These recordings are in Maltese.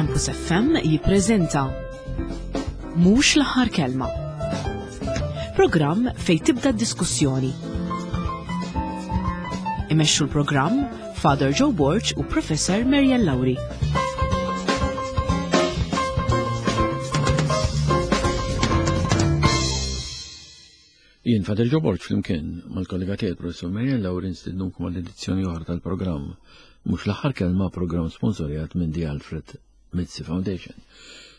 Campus FM jippreżenta Mhux l-aħħar kelma. Programm fejn tibda d-diskussjoni. Imexxu l-programm Father Joe Borg u Professor Marian Lauri. Jien Father Joe Borg flimkien mal-kollega tiegħi Professor Marian Lauri nstidnukom għal edizzjoni oħra tal-programm Mhux l-aħħar kelma programm sponsorjat minn The Alfred Mizzi Foundation.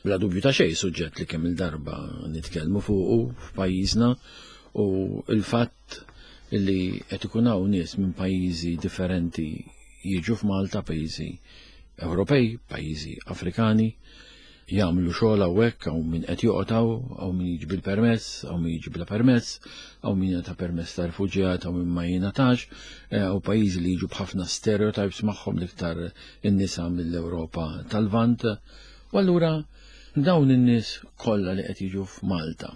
Bla dubju ta' xejn suġġett li kemm il-darba nitkellmu fuqu f'pajjiżna u il-fatt li qed ikun hawn nies minn pajjiżi differenti jiġu f'Malta, pajjiżi Ewropej, pajjiżi Afrikani, jagħmlu xogħol hawnhekk hawn min qed joqgħod hawn, hawn min jiġi bil-permess, hawn min jiġi bla permess, hawn min jingħata permess ta' rifuġjat, hawn min ma jingħatax, eh, hawn pajjiżi li jiġu b'ħafna stereotypes magħhom l-iktar in-nisa mill-Ewropa tal-Lvant. U allura dawn in-nies kollha li qed jiġu f'Malta.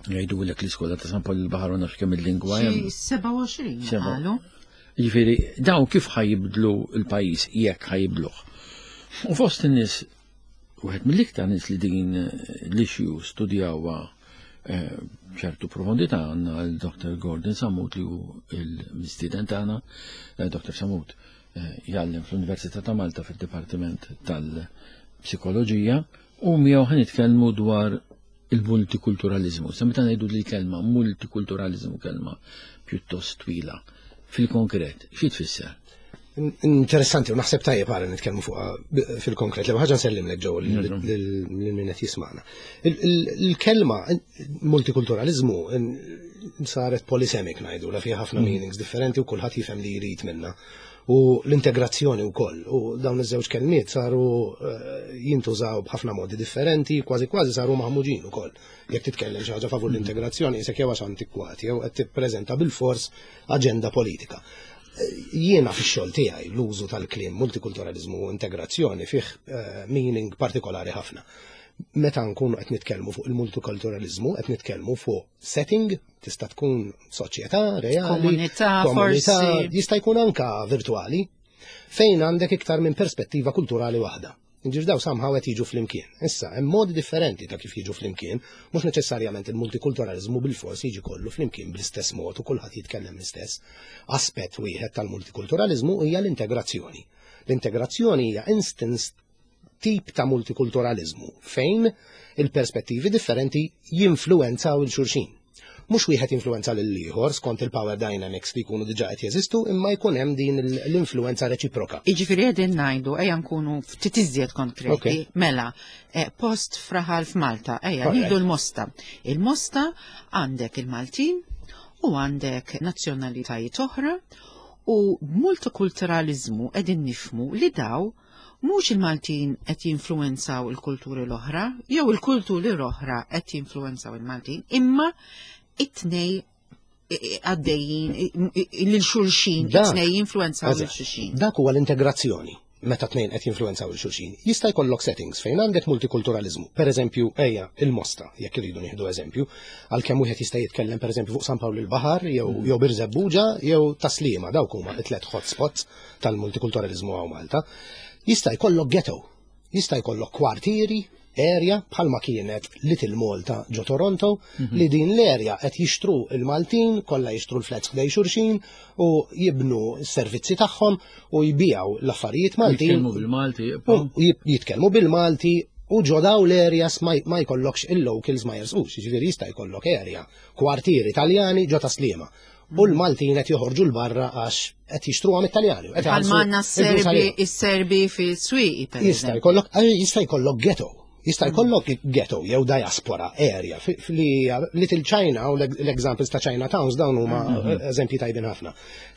Jgħidulek l-iskola ta' San Pawl il-Baħar u nafx kemm il-lingwa hemm. 27 qalu. Jiġifieri dawn kif ħajibdlu l-pajjiż jekk ħajibdluh. U fost in-nies wieħed mill-iktar nies li din l-issue studjawha eh, ċertu profondità għandna l-Dr. Gordon Samut li hu l-mistieden tagħna. Eh, Dr. Samut eh, jgħallem fl-Università ta' Malta fid-Dipartiment tal-Psikoloġija u miegħu ħa nitkellmu dwar il-multikulturaliżmu. Sa meta ngħidu li kelma multikulturaliżmu kelma pjuttost twila. Fil-konkret, xi tfisser? Interessanti, u naħseb tajjeb għara nitkellmu fuq fil-konkret. L-ewwel ħaġa nsellimlek ġew lil min qed jisma'na. Il-kelma multikulturaliżmu saret polysemik ngħidu, la fiha ħafna mm. meanings differenti u kulħadd jifhem li jrid minna u l-integrazzjoni wkoll. U dawn iż-żewġ kelmiet saru eh, jintużaw b'ħafna modi differenti, kważi kważi saru maħmuġin ukoll. Jekk titkellem xi ħaġa favur l-integrazzjoni, isek jew għax antikwat jew qed tippreżenta bil-fors aġenda politika. Eh, jiena fix-xogħol tiegħi l-użu tal-kliem multikulturalizmu u integrazzjoni fih eh, meaning partikolari ħafna. Meta nkunu qed nitkellmu fuq il-multikulturalizmu, qed nitkellmu fuq setting Tista' tkun soċjetà reali, komunità, komunità, jista' jkun anka virtuali, fejn għandek iktar minn perspettiva kulturali waħda. Ġir daw somehow qed jiġu flimkien. Issa, hemm modi differenti ta' kif jiġu flimkien, mhux neċessarjament il-multikulturalizmu bil-fors jiġi kollu flimkien bl-istess mod u kulħadd jitkellem l-istess. Aspett wieħed tal-multikulturalizmu hija l-integrazzjoni. L-integrazzjoni hija instance tip ta' multikulturaliżmu fejn il-perspettivi differenti jinfluwenzaw il xulxin. Mhux wieħed jinfluwenza lil ieħor skont il-power dynamics li jkunu diġà qed jeżistu, imma jkun hemm din l-influwenza reċiproka. Jiġifieri qegħdin ngħidu ejja nkunu ftit iżjed konkreti. Mela, eh, post fraħal f'Malta, ejja nieħdu l-Mosta. Il-Mosta għandek il-Maltin u għandek nazzjonalitajiet oħra u b'multikulturaliżmu qegħdin nifhmu li daw Mhux il-Maltin qed jinfluwenzaw il-kulturi l-oħra, jew il-kulturi l-oħra qed jinfluwenzaw il-Maltin, imma it-tnej għaddejjin lil xulxin, it-tnej jinfluwenzaw lil xulxin. Dak huwa l-integrazzjoni meta tnejn qed jinfluwenzaw il xulxin. Jista' jkollok settings fejn għandek multikulturalizmu. Per eżempju, ejja, il-Mosta, jekk irridu nieħdu eżempju, għalkemm wieħed jista' jitkellem per eżempju fuq San Pawl il-Baħar jew mm. jew Birżebbuġa jew Taslima, dawk huma it-tlet hotspots tal-multikulturalizmu hawn Malta, jista' jkollok ghetto, jista' jkollok kwartieri, area bħalma kienet Little Malta ġo Toronto mhm. li din l-area qed jixtru il-Maltin, kollha jixtru l-flats ħdej xulxin u jibnu s-servizzi tagħhom u jbijaw l-affarijiet Maltin. Jitkellmu bil-Malti. Jitkellmu bil-Malti u ġo daw l-areas ma jkollokx il-locals ma jersqux, jiġifieri jista' jkollok area, kwartieri Taljani ġo Taslima. U l-Maltin qed joħorġu l-barra għax qed jixtruha mit-Taljani. Bħal manna s-Serbi is-Serbi fis-swieqi per Jista' jkollok eh, jista' jkollok ghetto. Jista' mm. jkollok ghetto jew diaspora area li Little China u l-examples ta' China Towns dawn huma mm-hmm. eżempji tajbin ħafna.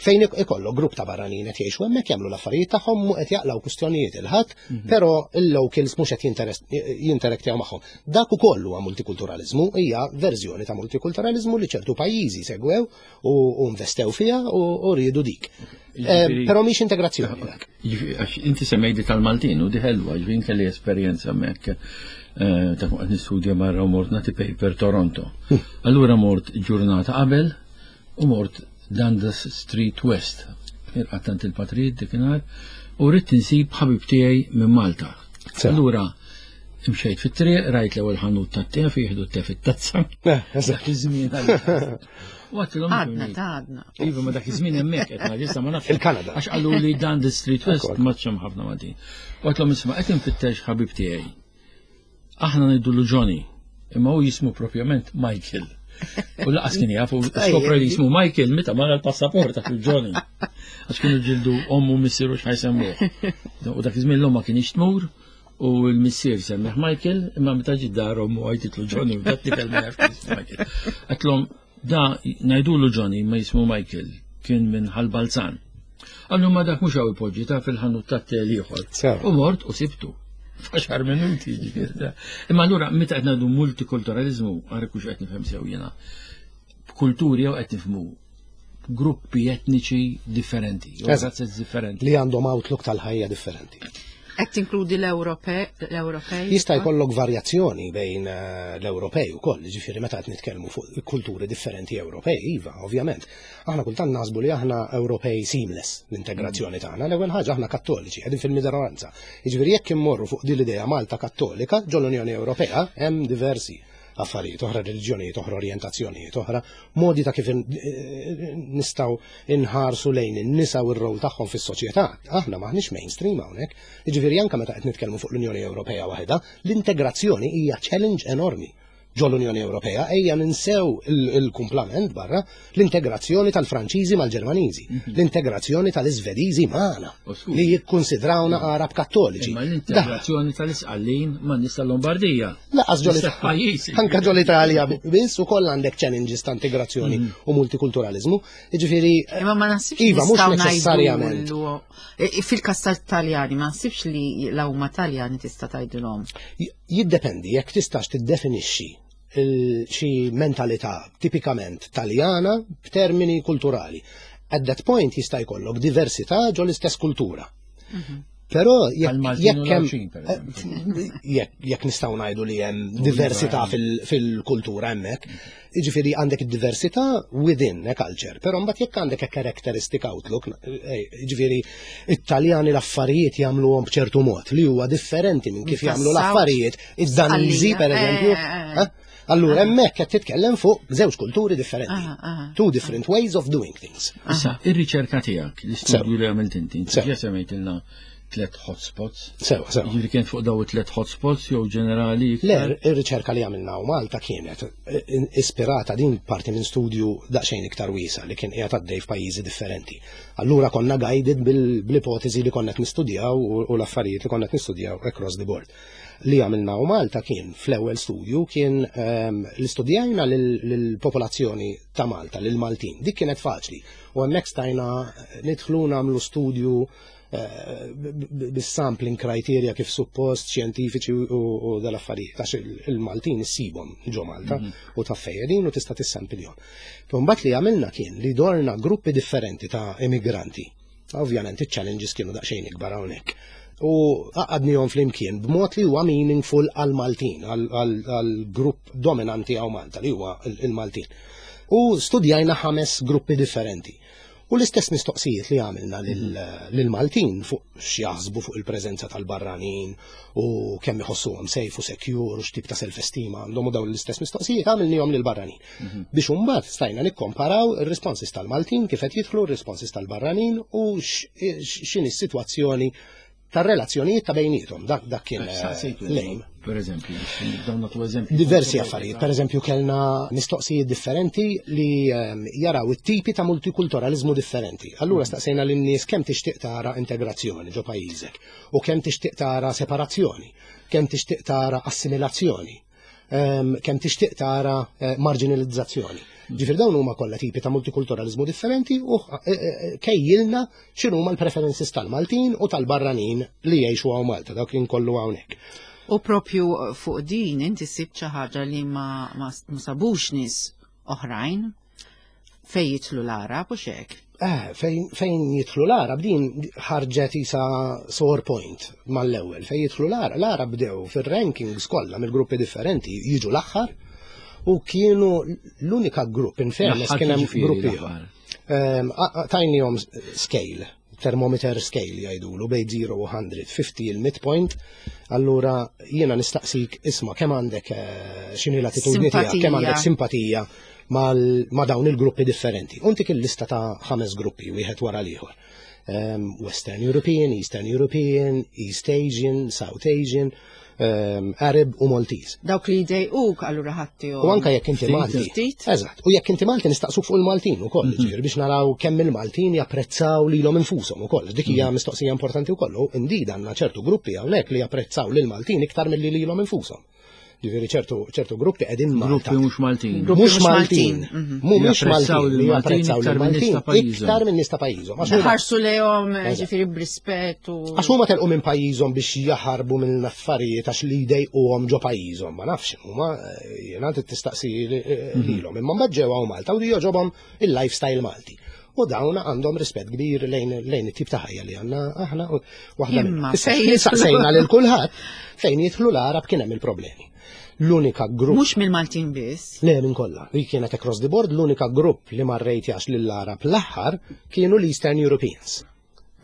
Fejn ikollok grupp ta' barranin qed jgħixu hemmhekk jagħmlu l-affarijiet tagħhom u qed jaqlaw kwistjonijiet il-ħadd, mm-hmm. però il-locals mhux qed jinterektjaw magħhom. Dak ukoll huwa multikulturaliżmu, hija verżjoni ta' multikulturaliżmu li ċertu pajjiżi segwew u investew fiha u riedu dik. Eh, però mhix integrazzjoni dak. Għax inti semmejdi tal-Maltin u di ħelwa, ġifieri kelli esperjenza hemmhekk eh, ta' fuq nistudja barra u mort nagħti paper Toronto. Hmm. Allura mort ġurnata qabel u mort Dundas Street West. Irqattant il-patrijiet dikinhar u rrid insib ħabib tiegħi minn Malta. Allura, imxejt fit-triq, rajt l-ewwel ħanut tat-te fejn jieħdu t-te fit-tazza. Eh, Dak iż-żmien. Għatlhom Għadna, ta' għadna. Iva, ma dak iż-żmien hemmhekk qed ngħid issa ma nafx. Il-Kanada. Għax qalu li dan the Street West ma hemm ħafna Maltin. Għatlhom isma' qed infittex ħabib tiegħi. Aħna ngħidulu Johnny, imma hu jismu propjament Michael. U laqas kien jaf, u skopra li jismu Michael meta mara l-passaport ta' Johnny. Għax kienu ġildu ommu missieru x'ħajsemmuh. U dak iż-żmien l-omma kien tmur u l-missier semmiħ Michael, imma meta ġi dar ommu għajtitlu Johnny u dat tifel ma jafx jismu Michael. Għatlhom da ngħidulu Johnny ma jismu Michael kien minn Ħal-Balzan. Għallu ma dak mhux hawn ipoġġi ta' fil-ħanut tat-tel ieħor. U mort u sibtu. F'għaxar minuti ġifieri. Imma allura meta qed ngħidu multikulturaliżmu, għarek hux qed nifhem sew jiena. B'kulturi jew qed nifhmu gruppi etniċi differenti, jew razzez differenti. Li għandhom outlook tal-ħajja differenti. Qed tinkludi l-Ewropej? Jista' jkollok varjazzjoni bejn eh, l-Ewropej ukoll, ġifieri meta qed nitkellmu fuq kulturi differenti Ewropej, iva, ovvjament. Aħna kultant naħsbu li aħna Ewropej seamless l-integrazzjoni tagħna. L-ewwel ħaġa aħna Kattoliċi, qegħdin fil-minoranza. Jiġifieri jekk immorru fuq din l-idea Malta Kattolika ġol-Unjoni Ewropea hemm diversi affarijiet oħra, reliġjonijiet oħra, orjentazzjonijiet oħra, modi ta' kif nistgħu inħarsu lejn in-nisa u r-rol tagħhom fis-soċjetà. Aħna maħniex mainstream hawnhekk. Jiġifieri anke meta qed nitkellmu fuq l-Unjoni Ewropea waħedha, l-integrazzjoni hija challenge enormi ġol-Unjoni Ewropea, ejja ninsew il-kumplament barra l-integrazzjoni tal-Franċiżi mal-Ġermaniżi, mhm. l-integrazzjoni tal-Iżvediżi magħna li jikkunsidrawna Arab Kattoliċi. Imma l-integrazzjoni tal-Isqallin ma' nies tal-Lombardija. Laqas ġol Anka ġol Italja biss ukoll għandek challenges ta' integrazzjoni mhm. u multikulturalizmu. Jiġifieri Imma ma naħsibx Iva, mhux neċessarjament. E, e, fil-każ tal-Taljani ma naħsibx li l-huma Taljani tista' tgħidilhom. Jiddependi jekk tistax tiddefinixxi xi mentalità tipikament Taljana b'termini kulturali. At that point jista' jkollok diversità ġo l-istess kultura. Mhm. Però jekk eh, jekk nistgħu ngħidu li hemm diversità fil-kultura hemmhekk, jiġifieri għandek id-diversità within a culture, però mbagħad jekk għandek a characteristic outlook, eh, jiġifieri it-Taljani l-affarijiet jagħmluhom b'ċertu mod li huwa differenti minn kif jagħmlu l-affarijiet id-Daniżi pereżempju. Eh, eh, Allura hemmhekk qed titkellem fuq żewġ kulturi differenti. Ah, ah. Two different ways of doing things. Issa, ir-riċerka tiegħek, l-istudju li għamilt inti, inti ġa semmejtilna tliet hotspots. Sewa, sewa. Jiġifieri kien fuq daw it-tliet hotspots jew ġenerali? Le, ir-riċerka li għamilna u Malta kienet eh, ispirata din parti minn studju daqsxejn iktar wiesa li kien qiegħed għaddej f'pajjiżi differenti. Allura konna guided bil-ipotezi li konna qed nistudjaw u l-affarijiet li konna qed nistudjaw across the board. Li għamilna u Malta kien fl-ewwel studju kien ehm, li studjajna lill-popolazzjoni ta' Malta, lill-Maltin. Dik kienet faċli. U hemmhekk stajna nidħlu nagħmlu studju eh, bis-sampling criteria kif suppost xjentifiċi u dal-affarijiet għax il-Maltin issibhom ġo Malta mhm. u ta' fejedin u tista' tissampilhom. Mbagħad li għamilna kien li dorna gruppi differenti ta' immigranti Ovvjament iċ-challenges kienu daqsxejn ikbar hawnhekk. U għaqqadnihom flimkien b'mod li huwa meaningful għal-Maltin, għal-grupp dominanti hawn Malta li huwa il-Maltin. U studjajna ħames gruppi differenti. U l-istess mistoqsijiet li għamilna lill-Maltin fuq x'jaħsbu fuq il-preżenza tal-barranin u kemm iħossuhom safe u secure u x'tip ta' self-esteem għandhom u dawn l-istess mistoqsijiet għamilnihom lill-barranin. Mhm. Biex imbagħad stajna nikkomparaw ir-responses tal-Maltin kif qed jidħlu r-responses tal-barranin u x'inhi s-sitwazzjoni tar-relazzjonijiet ta' bejniethom. Dak dak kien eh, lejn. Per eżempju, dawn nagħtu eżempju. Diversi affarijiet. Per eżempju, kellna mistoqsijiet differenti li ehm, jaraw it-tipi ta' multikulturalizmu differenti. Allura mhm. staqsejna lin-nies kemm tixtieq tara integrazzjoni ġo pajjiżek u kemm tixtieq tara separazzjoni, kemm tixtieq tara assimilazzjoni kemm tixtieq tara eh, marginalizzazzjoni. Ġifier dawn huma kollha tipi ta' multikulturalizmu differenti u eh, eh, kejjilna x'inhuma l-preferences tal-Maltin u tal-barranin li jgħixu hawn Malta, dawk li nkollu hawnhekk. U propju fuq din inti sibt xi ħaġa li ma, ma, ma sabux nies oħrajn Fej jitlu l-Arab u xek? Eh, fejn jitlu l-Arab din ħarġet isa sore point mal-ewwel. Fejn jitlu l-Arab, l-Arab bdew fir-rankings kollha mill-gruppi differenti jiġu l-aħħar u kienu l-unika grupp in fairness kien hemm gruppi. Ehm, tajnihom scale. Thermometer scale jgħidulu bejn 0 u 100, 50 il-midpoint, allura jiena nistaqsik isma' kemm għandek eh, x'inhi l-attitudni tiegħek, kemm għandek simpatija ma' dawn il-gruppi differenti. Untik il-lista ta' ħames gruppi wieħed wara l-ieħor. Ehm, Western European, Eastern European, East Asian, South Asian, um, Arab u Maltese. Dawk li jdejquk allura ħatti U anka jekk inti Malti. Eżatt, u jekk inti Malti nistaqsuk fuq il-Maltin ukoll, mm -hmm. ġifieri biex naraw kemm il-Maltin japprezzaw lilhom infushom ukoll. Dik hija mm -hmm. mistoqsija importanti wkoll. U indeed għandna ċertu gruppi hawnhekk li japprezzaw lil Maltin iktar milli lilhom infushom. Ġifieri ċertu ċertu gruppi qegħdin Malta. Gruppi mhux Maltin. Mhux Maltin. Mhm. Mhumiex Maltin li japprezzaw lil Maltin iktar minn nies ta' pajjiżhom. Ħarsu lejhom ġifieri b'rispett u. Għax huma telqu minn pajjiżhom biex jaħarbu minn affarijiet għax li jdejquhom ġo pajjiżhom, ma nafx huma eh, jiena tistaqsi eh, mhm. lilhom. Imma mbagħad ġew hawn Malta u jogħġobhom il-lifestyle Malti. U dawn għandhom rispett kbir lejn lejn it-tip ta' ħajja li għandna aħna u waħda Imma minnhom. Issa fejn x'kien jidħlu- saqsejna lil kulħadd fejn jidħlu l-Arab kien hemm il-problemi. L-unika grupp Mhux mill-Maltin biss. Le minn kollha. Li kienet across the board l-unika grupp li ma rrejtjax lill-Arab l-aħħar kienu l-Eastern Europeans.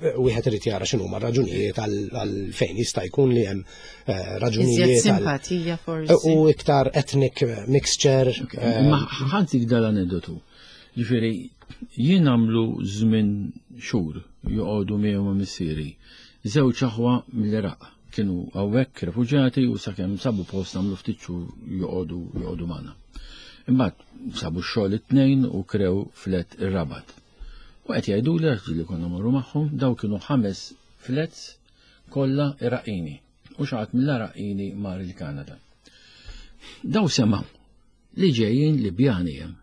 Wieħed irid jara x'inhuma r-raġunijiet għal fejn jista' jkun li hemm eh, raġunijiet Iżjed simpatija forsi. U iktar ethnic mixture. Eh, Ma ħantik dal-aneddotu. Ġifieri, jien għamlu żmien xhur joqogħdu miegħu ma' missieri. Żewġ aħwa mill-Iraq kienu hawnhekk refuġjati u sakemm sabu post għamlu ftit xhur joqogħdu joqogħdu magħna. Imbagħad sabu x-xogħol it-tnejn u krew flet ir-Rabat. U qed jgħiduli għax ġieli konna morru magħhom, daw kienu ħames flets kollha Iraqini. U xi ħadd mill-Iraqini mar il-Kanada. Daw semgħu li ġejjin Libjani hemm.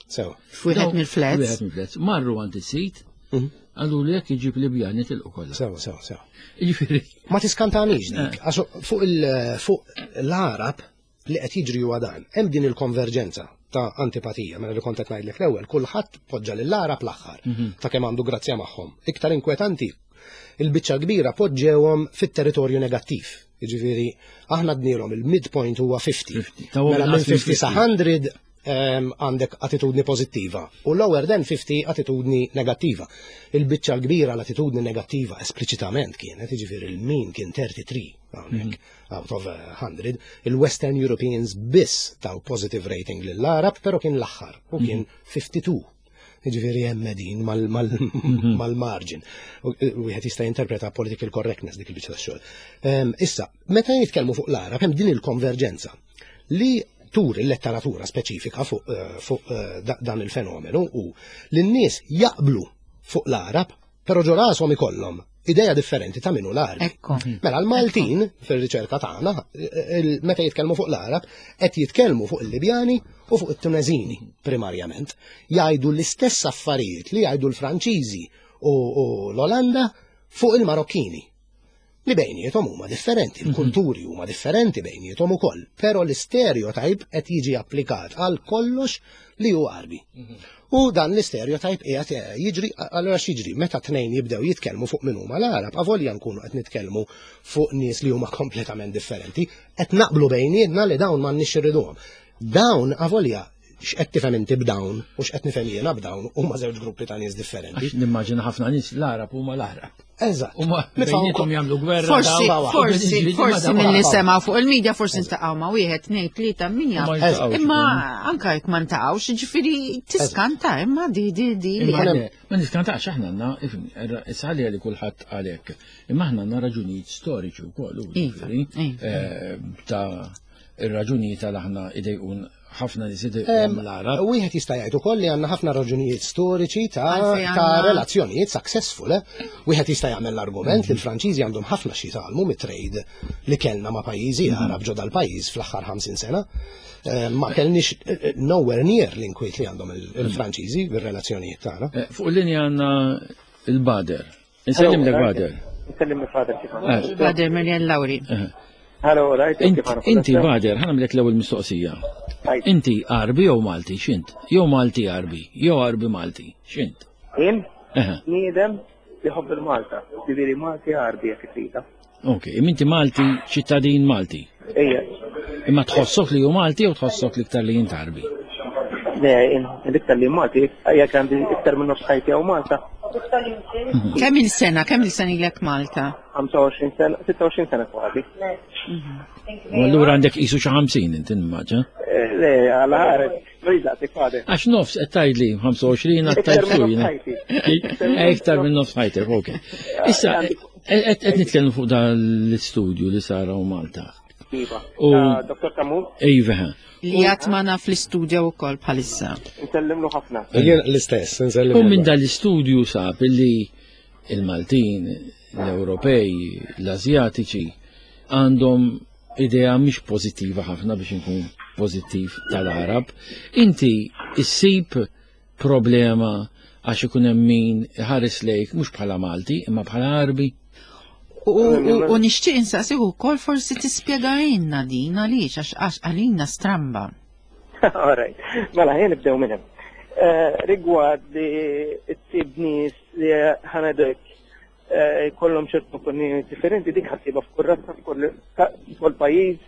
Sew. F'wieħed mill-flets. Wieħed mill-flets. Marru għand is-sit, mhm. għallu li jekk iġib Libjani tilqu kollha. Sew, sew, sew. Jiġifieri. Ma tiskantanix dik, eh. għax fuq l-Arab li qed jiġri huwa dan. Hemm din il-konverġenza ta' antipatija, mela li kont qed ngħidlek l-ewwel, kulħadd poġġa lill-Arab l-aħħar mhm. ta' kemm għandu grazzja magħhom. Iktar inkwetanti, il-biċċa kbira poġġewhom fit-territorju negattiv. Jiġifieri aħna dnilhom il-midpoint huwa 50. Mela minn 50 sa 100 ehm, għandek attitudni pożittiva u lower than 50 attitudni negattiva. Il-biċċa l-kbira l-attitudni negattiva espliċitament kienet, jiġifieri il-min kien 33 hawnhekk. Mhm. out of 100, il-Western Europeans biss taw positive rating lill-Arab, pero kien l-aħħar u kien 52. Mhm. Ġifieri hemm din mhm. mal-margin. Eh, wieħed jista' jinterpreta political correctness dik il-biċċa tax-xogħol. Ehm, issa, meta jitkellmu fuq l-Arab hemm din il-konverġenza li tur il-letteratura speċifika fuq eh, fu, eh, dan il-fenomenu u l-nies jaqblu fuq l-Arab Però ġo rashom ikollhom idea differenti ta' min hu l-Għarbi. Ekku. Mela l-Maltin fir-riċerka tagħna meta jitkellmu fuq l-Għarab qed jitkellmu fuq il-Libjani u fuq it-Tuneżini primarjament. Jgħidu l-istess affarijiet li jgħidu l-Franċiżi u l-Olanda fuq il-Marokkini. Li bejniethom huma differenti, mhm. il-kulturi huma differenti bejniethom ukoll, però l-istereotype qed jiġi applikat għal kollox li hu Għarbi. Mhm. U dan l-istereotype qiegħed eh, jiġri allura x'jiġri meta tnejn jibdew jitkellmu fuq min huma l-Għarab, avolja nkunu qed nitkellmu fuq nies li huma kompletament differenti, qed naqblu bejnietna li dawn m'għandniex irriduhom. Dawn avolja x'qed tifhem inti b'dawn u x'qed nifhem jiena b'dawn huma żewġ gruppi ta' nies differenti. Għax nimmaġina ħafna nies l-Għarab huma l-Għarab. Eżatt. Huma bejniethom jagħmlu gwerra. Forsi, forsi, forsi milli semgħu fuq il-medja forsi ntaqgħu ma' wieħed, tnejn, tlieta, min jaf. Imma anke jekk ma ntaqgħux, jiġifieri tiskanta imma di di di. Ma niskantax aħna għandna, issa li kulħadd għalhekk. Imma aħna għandna raġunijiet storiċi wkoll, iva, iva. Eh, ta' ir-raġunijiet għal aħna idejqun ħafna nies idejquhom l-Għarab. Wieħed jista' jgħid ukoll li għandna ħafna raġunijiet storiċi ta' ta' relazzjonijiet successful. Eh? Wieħed jista' jagħmel l-argument li l-Franċiżi għandhom ħafna xi jitgħallmu mit-trade li kellna ma' pajjiżi mhm. Għarab ġo dal-pajjiż fl-aħħar 50 sena. Eh, ma kellniex eh, nowhere near l-inkwiet li għandhom il-Franċiżi bir-relazzjonijiet tagħna. Fuq linja għandna il-Bader. Insellim lek Bader. Insellim lek Bader kif eh. Bader Marian Lauri. Eh. Hello, right. Inti Bader, ħanamlek l-ewwel mistoqsija. Inti Arbi jew Malti, x'int? Jew Malti Arbi, jew Arbi Malti, x'int? Jien? Niedem li ħobb il-Malta, ġifieri Malti Arbi jekk tridha. Ok, inti Malti, ċittadin Malti. Ejja. Imma tħossok li hu Malti jew tħossok l-iktar li jint Arbi? Le, l-iktar li Malti, jekk għandi iktar minn nofs ħajti hawn Malta. Kemm il-sena, kemm il-sena ilek Malta? 25 sena, 26 sena kważi. U allura għandek qisu xi 50 inti nimmaġa. Eh, le, għala ħares, rida tikfade. Għax nofs qed tgħidli 25 għad Iktar minn nofs ħajti. Eh, iktar minn nofs ħajtek, ok. Issa, qed nitkellmu fuq dan l-istudju li sara u Malta. Iva. U Dr. Tamu? Iva. Li għatmana fl-istudju u kol bħalissa. Nsellimlu ħafna. Jien l-istess, nsellimlu. U minn dan l-istudju sab li il-Maltin, l-Ewropej, l-Azjatiċi għandhom idea mhix pożittiva ħafna biex inkun pożittiv tal-Arab. Inti issib problema għax ikun hemm min iħares lejk mhux bħala Malti imma bħala Arbi. U nixtieq insaqsih ukoll forsi tispjegajna din għaliex għax għax għalina stramba. All right. Mela ħin nibdew minn hemm. Eh, rigward li tsib nies li ħanedek eh, jkollhom ċertu opinjoni differenti dik ħassiba f'kull razza, f'kull pajjiż,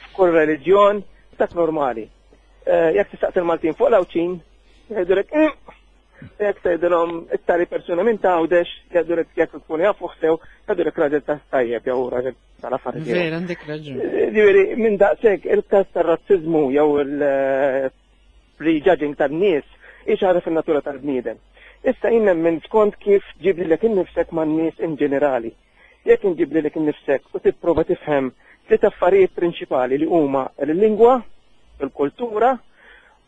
f'kull reliġjon, dak normali. Eh, jekk tistaqsi il-Maltin fuq l-Għawdxin, jgħidulek mm. jekk tgħidilhom it-tali persuna minn tgħawdex, jgħidulek jekk tkun jafu sew, jgħidulek raġel ta' tajjeb jew raġel tal-affarijiet. Vera, għandek raġun. Eh, ġifieri minn daqshekk il-każ tar-razziżmu jew il-prejudging tan-nies hi xi ħaġa fin-natura tal-bniedem. Issa jien nemmen skont kif ġib lilek innifsek man-nies in ġenerali. Jekk inġib lilek innifsek u tipprova tifhem tliet affarijiet prinċipali li huma l-lingwa, il-kultura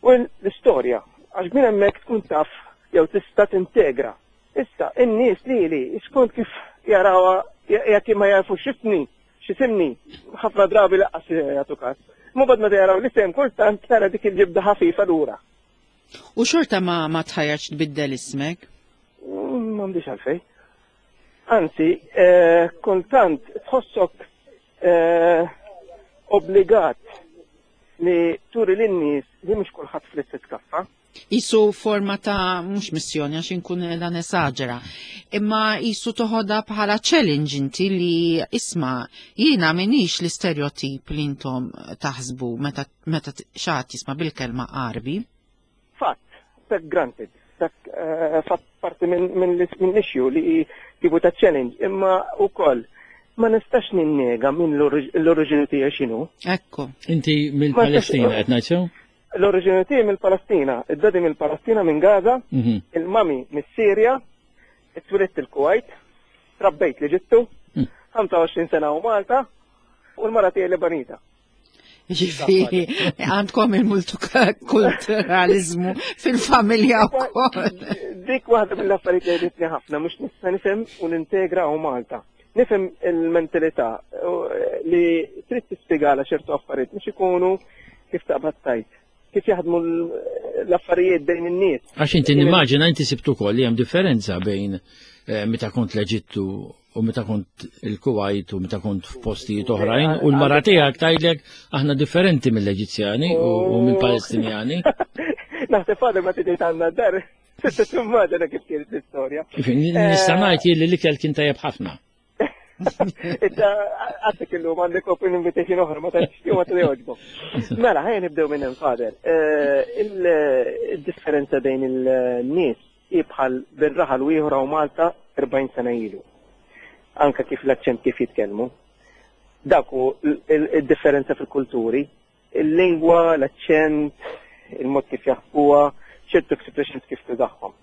u l-istorja. Għax minn hemmhekk tkun taf jew tista' tintegra. Issa, in-nies lili skont kif jarawha jekk ma jafux x'ismi, x'isimni, ħafna drabi lanqas jagħtu każ. Imma mbagħad meta jaraw l-isem kultant tara dik il-ġibda ħafifa lura. U xorta ma ma tħajjarx tbiddel ismek? Mm, m'għandix għalfejn. Anzi, eh, kultant tħossok eh, obbligat li turi lin-nies li mhux kulħadd fl-istess kaffa. Isu forma ta' mhux missjoni għax inkun qiegħda nesaġera. Imma isu toħodha bħala challenge inti li isma' jiena minix l-istereotip li intom taħsbu meta meta xaħat jisma' bil-kelma Għarbi. Fatt, take granted, dak eh, fatt parti minn l-issue li tipu ta' challenge, imma wkoll ma nistax ninnega minn l-oriġini tiegħi x'inhu. Ekku. Inti mill-Palestina qed ngħid sew? L-oriġini tiegħi mill-Palestina, id-dadi mill-Palestina minn Gaza, mhm. il-mami mis-Sirja, twilidt il-Kuwait, trabbejt l-Eġittu, 25 mm. sena u Malta, u l-mara tiegħi Lebanita. Ġifieri, għandkom il-multikulturalizmu fil-familja wkoll. Dik waħda mill-affarijiet li għeditni ħafna mhux nista' nifhem u nintegra u Malta. Nifhem il-mentalità li trid tispjegala ċertu affarijiet mhux ikunu kif taqbad tajt kif jaħdmu l-affarijiet bejn in-nies. Għax inti nimmaġina inti sibtu ukoll li hemm differenza bejn eh, meta kont l-Eġittu u meta kont il-Kuwait u meta kont f'postijiet oħrajn u l-mara tiegħek tgħidlek aħna differenti mill-Eġizzjani u mill-Palestinjani. Naħseb għadha ma tiġi għandna dar. Tista' timmaġina kif kienet l-istorja. Nista' ngħid li l-ikel kien tajjeb ħafna. Issa għatek illum għandek open invitation oħra ma tantx ma tgħoġbok. Mela, ħajja nibdew minn hemm fader. Eh, il-differenza bejn il-nies Hi bħal bejn raħal u ieħor hawn Malta 40 sena ilu. Anke kif l-aċċent kif jitkellmu. Dak hu d-differenza fil-kulturi. Il-lingwa, l-aċċent, il-mod kif jaħsbuha, ċertu expressions kif tużahom.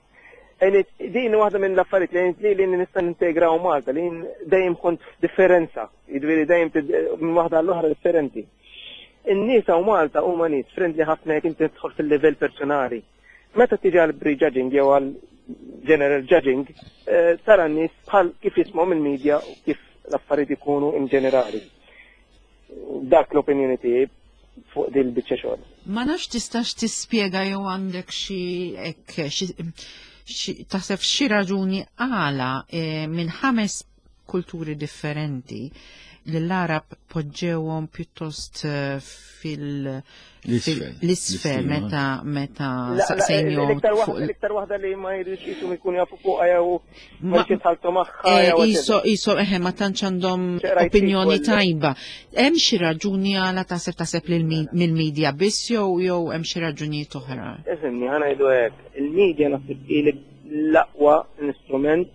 Din waħda minn l-affarijiet li għenitni li nista' nintegra hawn Malta, li dejjem kont f'differenza, jiġifieri dejjem minn waħda għall-oħra differenti. In-nies hawn Malta huma nies friendly ħafna jekk inti tidħol fil-livell personali. Meta tiġi għal prejudging jew għal general judging, eh, tara n-nies bħal kif jismgħu mill-media u kif l-affarijiet ikunu in ġenerali. Dak l-opinjoni tiegħi fuq din biċċa xogħol. Ma nafx tistax tispjega jew għandek xi hekk taħseb xi raġuni għala eh, minn ħames kulturi differenti li l-Arab poġġewhom pjuttost eh, fil l-isfel meta meta saqsejnihom fuq l-iktar waħda li ma jridux jisom ikunu jafu fuqha jew ma jitħaltu magħha eh, iso iso eħe ma tantx għandhom opinjoni tajba. Hemm xi raġuni għala taħseb taħseb mill-medja biss jew jew hemm xi raġunijiet oħra? Ifhimni, ħa ngħidu hekk, il-medja naħseb. l-aqwa instrument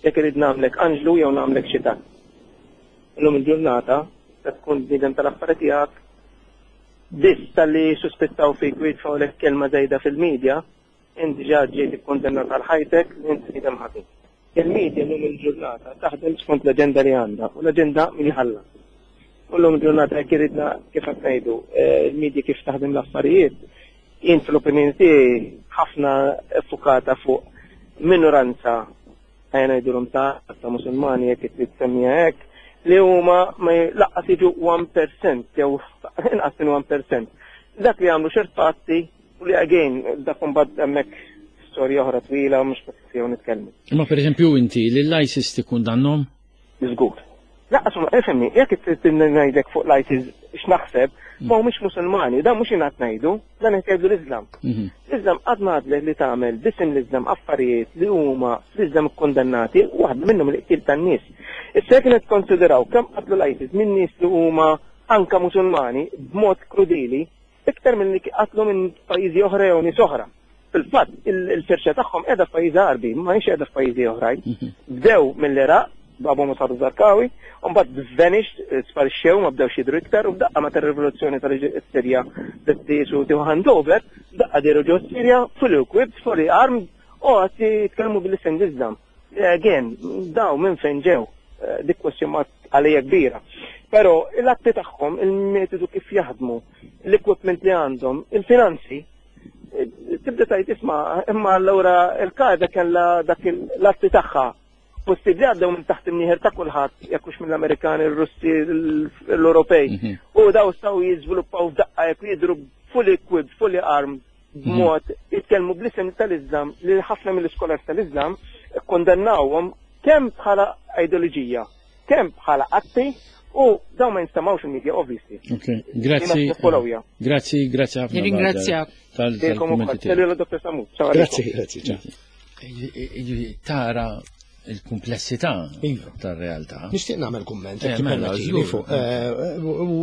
jekk irid nagħmlek anġlu jew nagħmlek xitan. Illum il-ġurnata tista' tkun bniedem tal-affari tiegħek biss talli jissuspettaw fik u jitfgħulek kelma żejda fil-media, int diġà ġejt ikkundannat għal ħajtek li int bniedem ħażin. Il-media llum il-ġurnata taħdem skont l-aġenda li għandha u l-aġenda min iħallas. U llum il-ġurnata jekk iridna kif qed ngħidu, il-media kif taħdem l-affarijiet, jien fl-opinjoni tiegħi ħafna ffukata fuq minoranza ejja ngħidulhom ta' ta' Musulmani jekk trid tsemmiha hekk, li huma ma laqqas jiġu 1% jew inqas minn 1%. Dak li jagħmlu ċertu atti u li again dak imbagħad hemmhekk storja oħra twila mhux qed jew nitkellmu. Imma pereżempju inti li l-ISIS tikkundannhom? Żgur. Laqqas huma, ifhimni, jekk trid ngħidlek fuq l-ISIS x'naħseb, ma humiex Musulmani, dan mhux jien qed ngħidu, dan qed jgħidu l-Iżlam. L-Iżlam qatt ma għadlek li tagħmel b'isem l-Iżlam affarijiet li huma fl-Iżlam ikkundannati, waħda minnhom il-qtil tan-nies. Issa jekk nikkonsideraw kemm qatlu l-ISIS minn nies li huma anke Musulmani b'mod krudili, iktar milli qatlu minn pajjiżi oħra jew nies oħra. Fil-fatt, il-firxa tagħhom qiegħda f'pajjiżi Għarbi, ma hix qiegħda f'pajjiżi oħrajn. Bdew mill-Iraq, b'Abu Musab Zarqawi, u mbagħad vanished, sparixxew, ma bdewx jidhru iktar, u f'daqqa meta r-rivoluzzjoni tal-Sirja bdiet qisu tieħu handover, f'daqqa dehru ġo Sirja, fully equipped, fully armed, u qed jitkellmu bl-isem l-Iżlam. Again, daw minn fejn ġew, dik question mark għalija kbira. Però l-atti tagħhom, il-metodu kif jaħdmu, l-equipment li għandhom, il-finanzi, tibda tajt isma' imma allura il-Qaeda kellha dak l-atti tagħha. Possibbli għaddew minn taħt imnieħer ta' kulħadd, jekk hux mill-Amerikani, il-Russi, l-Ewropej. U daw staw jiżviluppaw f'daqqa jekk jidhru fully equipped, fully armed, b'mod jitkellmu bl-isem tal-Iżlam li ħafna mill-iskolars tal-Iżlam ikkundannawhom kemm bħala ideoloġija, kemm bħala atti u dawn ma jinstemgħux il-media obviously. Ok, grazzi. Grazzi, grazzi ħafna. Nirringrazzjak. Tal-kummenti. Dr. Samut. Grazzi, grazzi. Tara il-kumplessità Iva. tar-realtà. Nixtieq nagħmel kumment, Eh, jekk mela, tippermettili żgur. fuq.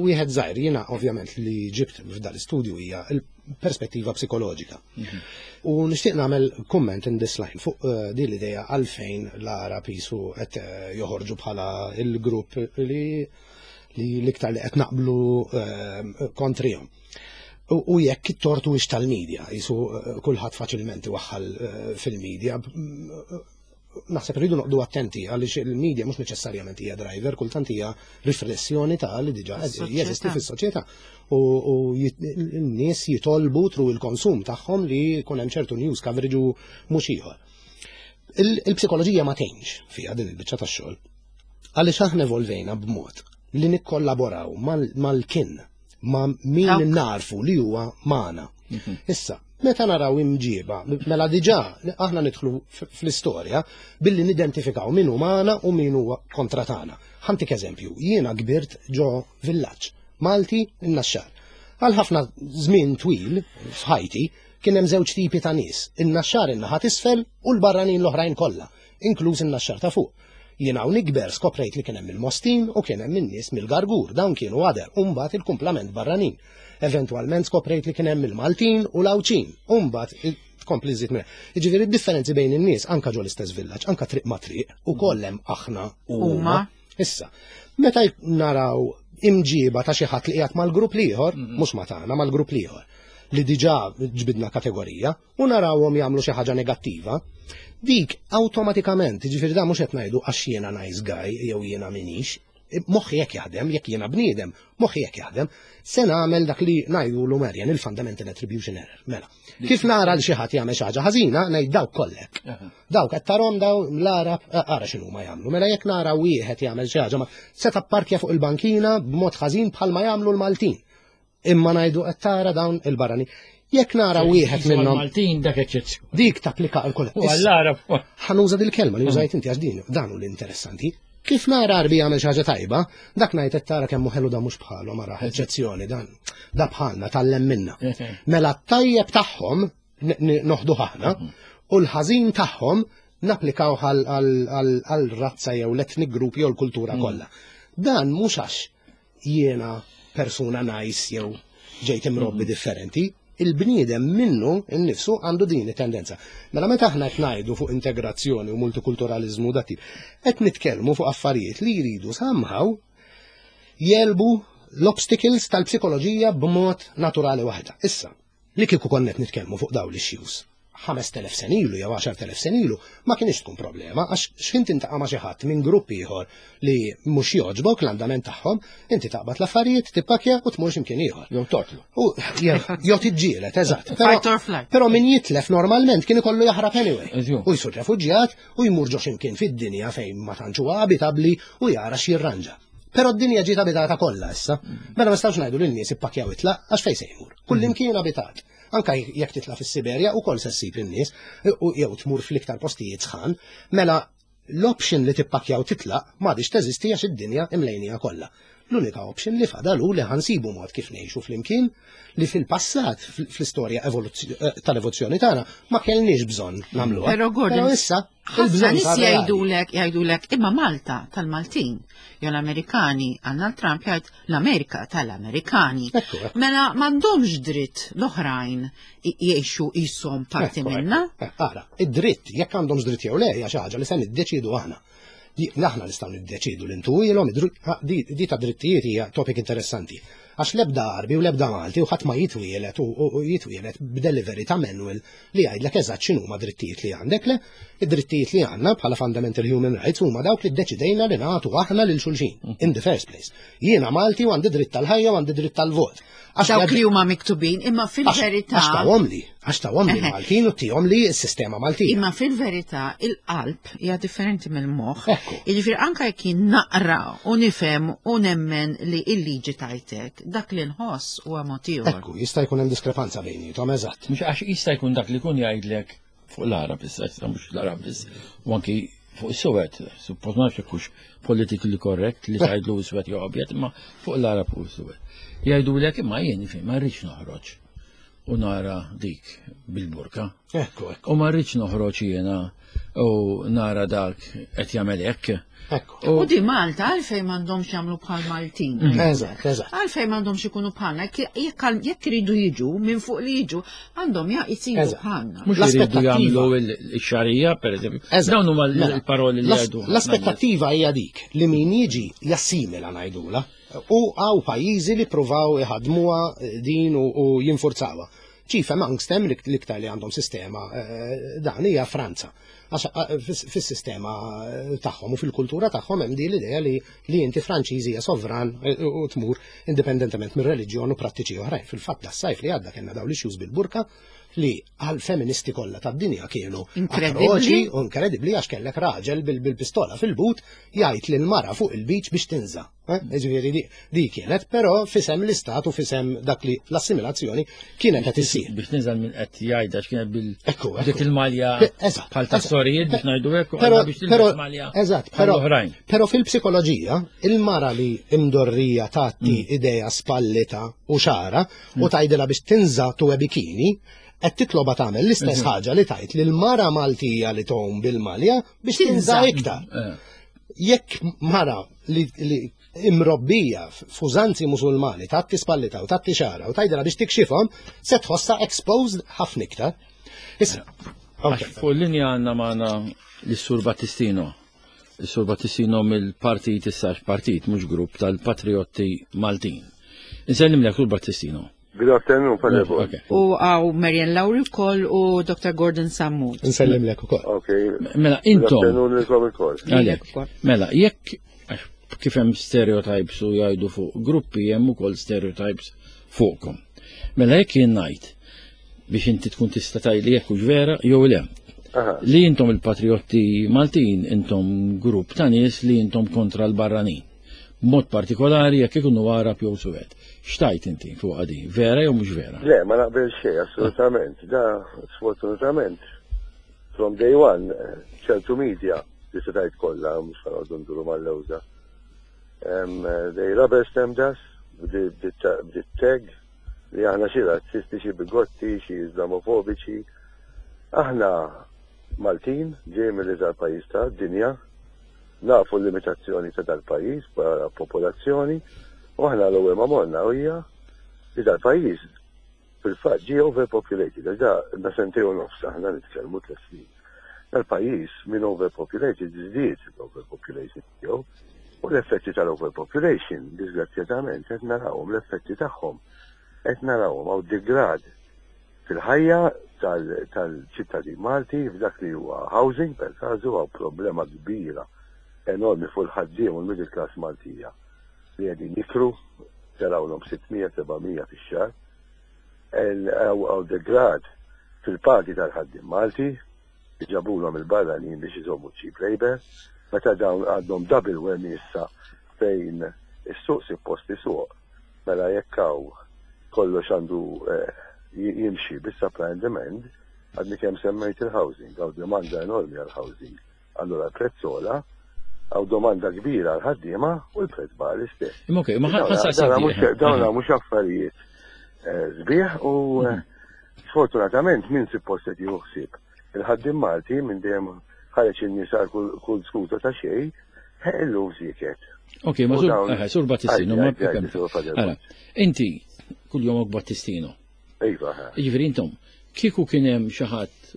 Wieħed żgħir jiena ovvjament li ġibt f'dal istudju hija l-perspettiva psikoloġika. U nixtieq nagħmel kumment in this line fuq din l-idea għalfejn l-Għarab jisu qed joħorġu bħala il-grupp li li l-iktar li qed naqblu kontrihom. U jekk it-tort huwiex tal-medja, jisu kulħadd faċilment iwaħħal fil-medja. Naħseb rridu noqdu attenti għaliex il-medja mhux neċessarjament hija driver, kultant hija riflessjoni ta' li diġà Fis-soċjetà. jeżisti fis-soċjetà. U n-nies jitolbu through il-konsum tagħhom li jkun hemm ċertu news coverage u mhux ieħor. Il-psikoloġija ma tgħinx fiha din il-biċċa tax-xogħol. Għaliex aħna evolvejna b'mod li nikkollaboraw mal-kin, ma' min Dawk. narfu li huwa magħna. Issa, meta naraw imġiba, mela diġà aħna nidħlu fl-istorja billi nidentifikaw min hu magħna u min huwa kontra tagħna. Ħantik eżempju, jiena kbirt ġo villaġġ, Malti in-Naxxar. Għal ħafna żmien twil f'ħajti kien hemm żewġ tipi ta' nies, in-Naxxar in-naħa t'isfel u l-barranin l-oħrajn kollha, inkluż in-Naxxar ta' fuq. Jien hawn ikber skoprejt li kien hemm il-Mostin u kien hemm in-nies mill-Gargur, dawn kienu għader, u mbagħad il-kumplament barranin. Eventwalment skoprejt li kien hemm il-Maltin u l-Għawdxin, u mbagħad tkompli żżid minn. Jiġifieri d-differenzi bejn in-nies anka ġo l-istess villaġġ, anka triq ma' triq, ukoll hemm aħna u huma. Huma. Issa, meta naraw imġiba ta' xi ħadd li qiegħed mal-grupp l-ieħor, mhux ma' tagħna, mal-grupp l-ieħor, li diġà ġbidna kategorija, u narawhom jagħmlu xi ħaġa negattiva, dik awtomatikament, jiġifieri dan mhux qed ngħidu għax jiena nice guy jew jiena minix, moħħi jekk jaħdem, jekk jiena bniedem, moħħi jekk jaħdem, se nagħmel dak li ngħidulu Marian, il-fundamental attribution error. Mela, kif nara li xi ħadd jagħmel xi ħaġa ħażina, ngħid dawk kollek. Dawk qed tarhom daw l-Għarab, ara x'inhu ma jagħmlu. Mela jekk nara wieħed jagħmel xi ħaġa, ma se tapparkja fuq il-bankina b'mod ħażin bħalma jagħmlu l-Maltin. Imma ngħidu qed tara dawn il-barrani. Jekk nara wieħed minnhom Maltin dak eċċezzjoni. Dik tapplika għal kulħadd. U għall-Għarab. Ħa nuża dil-kelma li użajt inti għax din dan hu l-interessanti. Kif nara Għarbi jagħmel xi ħaġa tajba, dak ngħid qed tara kemm hu ħelu da mhux bħalhom ara eċċezzjoni dan. Da bħalna tgħallem minna. Mela t-tajjeb tagħhom noħduh aħna u l-ħażin tagħhom napplikaw għal razza jew l-ethnic group jew l-kultura kollha. Dan mhux għax jiena persuna nice jew ġejt imrobbi differenti. Il-bniedem minnu nnifsu għandu din it-tendenza. Mela meta aħna qed ngħidu fuq integrazzjoni u multikulturaliżmu dat tip, qed nitkellmu fuq affarijiet li jridu somehow jegħlbu l-obstacles tal-psikoloġija b'mod naturali waħda. Issa, li kieku konna qed nitkellmu fuq dawn l-issues 5,000 sena ilu jew 10,000 sena ilu ma kienx tkun problema għax x'ħin tintaqa' ma' xi ħadd minn grupp ieħor li mhux jogħġbok l-andament tagħhom, inti taqbad l-affarijiet, tippakja u tmur x'imkien ieħor. Jew toqtlu. U jew tiġġieled, eżatt. Fight or flight. Però min jitlef normalment kien ikollu jaħrab anyway. Eżju. U jsir refuġjat u jmur ġo x'imkien fid-dinja fejn ma tantx huwa abitabbli u jara x'jirranġa. Però d-dinja ġiet abitata kollha issa. Mela ma nistgħux ngħidu lin-nies ippakjaw itlaq għax fejn se jmur. Kullimkien abitat. Anka jekk titla' fis-Siberja ukoll se ssib in-nies u jew tmur fl-iktar postijiet sħan, mela l-option li tippakjaw titlaq m'għadix teżisti għax id-dinja imlejnija kollha. L-unika option li fadal hu li ħansibu mod kif ngħixu flimkien li fil-passat fl-istorja tal-evoluzzjoni tagħna ma kellniex bżonn nagħmluha. Però Gordon, Però issa ħafna il-bżonn nies sar reali. jgħidulek, jgħidulek imma Malta tal-Maltin, jew l-Amerikani, għandna l-Trump jgħid l-Amerika tal-Amerikani. Ekku, ekku. Mela m'għandhomx dritt l-oħrajn jgħixu qishom parti Ekku, minna. ekku. Ara, id-dritt, jekk għandhomx dritt jew le, hija xi ħaġa li se niddeċidu aħna. Aħna nistgħu niddeċidu li ntuilhom, di ta' drittijiet hija topic interessanti. Għax l-ebda Għarbi u l-ebda Malti u ħadd ma jitwielet u jitwielet b'delivery ta' manual li jgħidlek eżatt x'inhuma drittijiet li għandek, le, id-drittijiet li għandna bħala fundamental human rights huma dawk li ddeċidejna li nagħtu aħna lil xulxin in the first place. Jiena Malti u għandi dritt tal-ħajja u għandi dritt tal-vot. Għax Dawk li huma miktubin, imma fil-verità. Għax tawhom li, għax tawhom li Maltin u tihom li s-sistema Maltija. Imma fil-verità il-qalb hija differenti mill-moħħ. Ekku. Jiġifieri anke jekk jien naqra u nifhem u nemmen li l-liġi tajtek, dak li nħoss huwa mod ieħor. Ekku, jista' jkun hemm diskrepanza bejnietom, eżatt. Mhux għax jista' jkun dak li jkun jgħidlek fuq l-Arab issa, issa mhux l-Arab biss, u anki fuq is-Suwed, suppost ma nafx jekk hux politically correct li tgħidlu iswed jew abjad, imma fuq l-Arab u s-Suwed. Jgħidulek imma jien ifhem ma rridx noħroġ u nara dik bil-burka. Ekku, ekku. U ma rridx noħroġ jiena u nara dak qed jagħmel hekk. Ekku. U di Malta għalfejn m'għandhomx jagħmlu bħal Maltin. Eżatt, eżatt. Għalfejn m'għandhomx ikunu bħalna, jekk iridu jiġu minn fuq li jiġu, għandhom jisiru Eżatt. bħalna. Mhux iridu L-aspettattiva. jagħmlu il-xarija, per eżempju. Eżatt. Dawn huma Mela, l-paroli li jgħidu. ħafna nies. L-aspettattiva hija dik li min jiġi jassimila ngħidula u hawn pajjiżi li pruvaw iħadmuha din u jinfurzawha. Chief amongst them l-iktar li għandhom sistema dan hija Franza. Għax fis-sistema tagħhom u fil-kultura tagħhom hemm din l-idea li inti Franċiż hija sovran u tmur indipendentement mir-reliġjon u prattiċi oħrajn. Fil-fatt das-sajf li għadda kellna dawn l-issues bil-burka li għal feministi kollha tad-dinja kienu Inkredibbli. atroċi u inkredibbli għax kellek raġel bil-pistola fil-but jgħid lil mara fuq il-beach biex tinża. Ġifieri di kienet, però fisem l-istat u fisem dak li l-assimilazzjoni kienet qed issir. Biex tinżel minn qed jgħidha x'kienet bil Ekku, ekku. dik il-malja Eżatt, bħal ta' eżatt. sorijiet biex ngħidu hekk u Però, għandna biex però, tilbes malja eżatt, bħal però, oħrajn. però fil-psikoloġija, il-mara li imdorrija tatti idea spallita u xara u tgħidilha biex tinża tuwe bikini, qed titloba tagħmel l-istess ħaġa li tajt lil mara Maltija li tgħum bil-malja biex tinża Tinża. iktar. Jekk mara li imrobbija f'użanzi musulmani tatti spallita u tatti xara u tgħidilha biex tikxifhom, se tħossha exposed ħafna iktar. Issa, Għax fuq l-linja għandna magħna l-Sur Battistino. Is-Sur Battistino mill-partit issa partit mhux grupp tal-Patriotti Maltin. Insellim lek Sur Battistino. Good afternoon, Father Paul. Okay. U hawn Marian Lauri wkoll u Dr. Gordon Sammut. Nsellim lek ukoll. Okay. Mela, Good intom. afternoon lilkom ukoll. Għalek. ukoll. Mela, jekk għax kif hemm stereotypes u jgħidu fuq gruppi hemm ukoll stereotypes fuqkom. Mela jekk jien ngħid biex inti tkun tista' tgħidli jekk hux vera jew le. Aha. Li intom il-patriotti Maltin intom grupp ta' nies li intom kontra l-barranin. Mod partikolari jekk ikunu Arab jew Suwed. X'tajt inti fuq għadi? Vera jew mhux vera? Le, ma naqbel xejn, assolutament. Da, sfortunatament, from day one, ċertu media, li se tajt kollha, mhux ħa noqogħdu nduru mal-lewża. They rubber stamped us bit-tag li aħna xi razzisti, xi bigotti, xi islamofobiċi. Aħna Maltin, ġej mill-iżgħar pajjiż ta' dinja, nafu l-limitazzjoni ta' dal-pajjiż bħala popolazzjoni, u aħna l-ewwel ma morna hija li dal-pajjiż. Fil-fatt ġie overpopulated, għax da da sentejn u nofs aħna nitkellmu tliet snin. Dal-pajjiż minn overpopulated żdied l-overpopulation tiegħu u l-effetti tal-overpopulation, disgrazzjatament, qed narawhom l-effetti tagħhom. Qed narawhom hawn degrad fil-ħajja tal-ċittadin Malti f'dak li huwa housing per każu hawn problema kbira enormi fuq il-ħaddiem u l-middle class Maltija li qegħdin jikru telgħulhom 600, 700 fix-xahar. Hawn degrad fil-pagi tal-ħaddiem Malti li ġabulhom il-barranin biex iżommu cheap labour, meta dawn għandhom double whammy issa fejn is-suq suppost isuq, mela jekk hawn kollox għandu jimxi bis-supply and demand, għadni kemm semmejt il-housing, hawn demanda enormi għall-housing. Allura l-prezz għola, hawn domanda kbira għal ħaddiema u l-prezz baqa' l-istess. Imma okej, ma ħa nsaqsik. Dawna mhux affarijiet eh, sbieħ u eh, sfortunatament min suppost qed jieħu ħsieb. Il-ħaddiem Malti minn dejjem ħareġ in-nies għal kull skuża ta' xejn, eh, illum sieket. Ok, ma sur Battistino, ma inti kull jomok Battistino. Iva. Jiġifieri intom, kieku kien hemm xi ħadd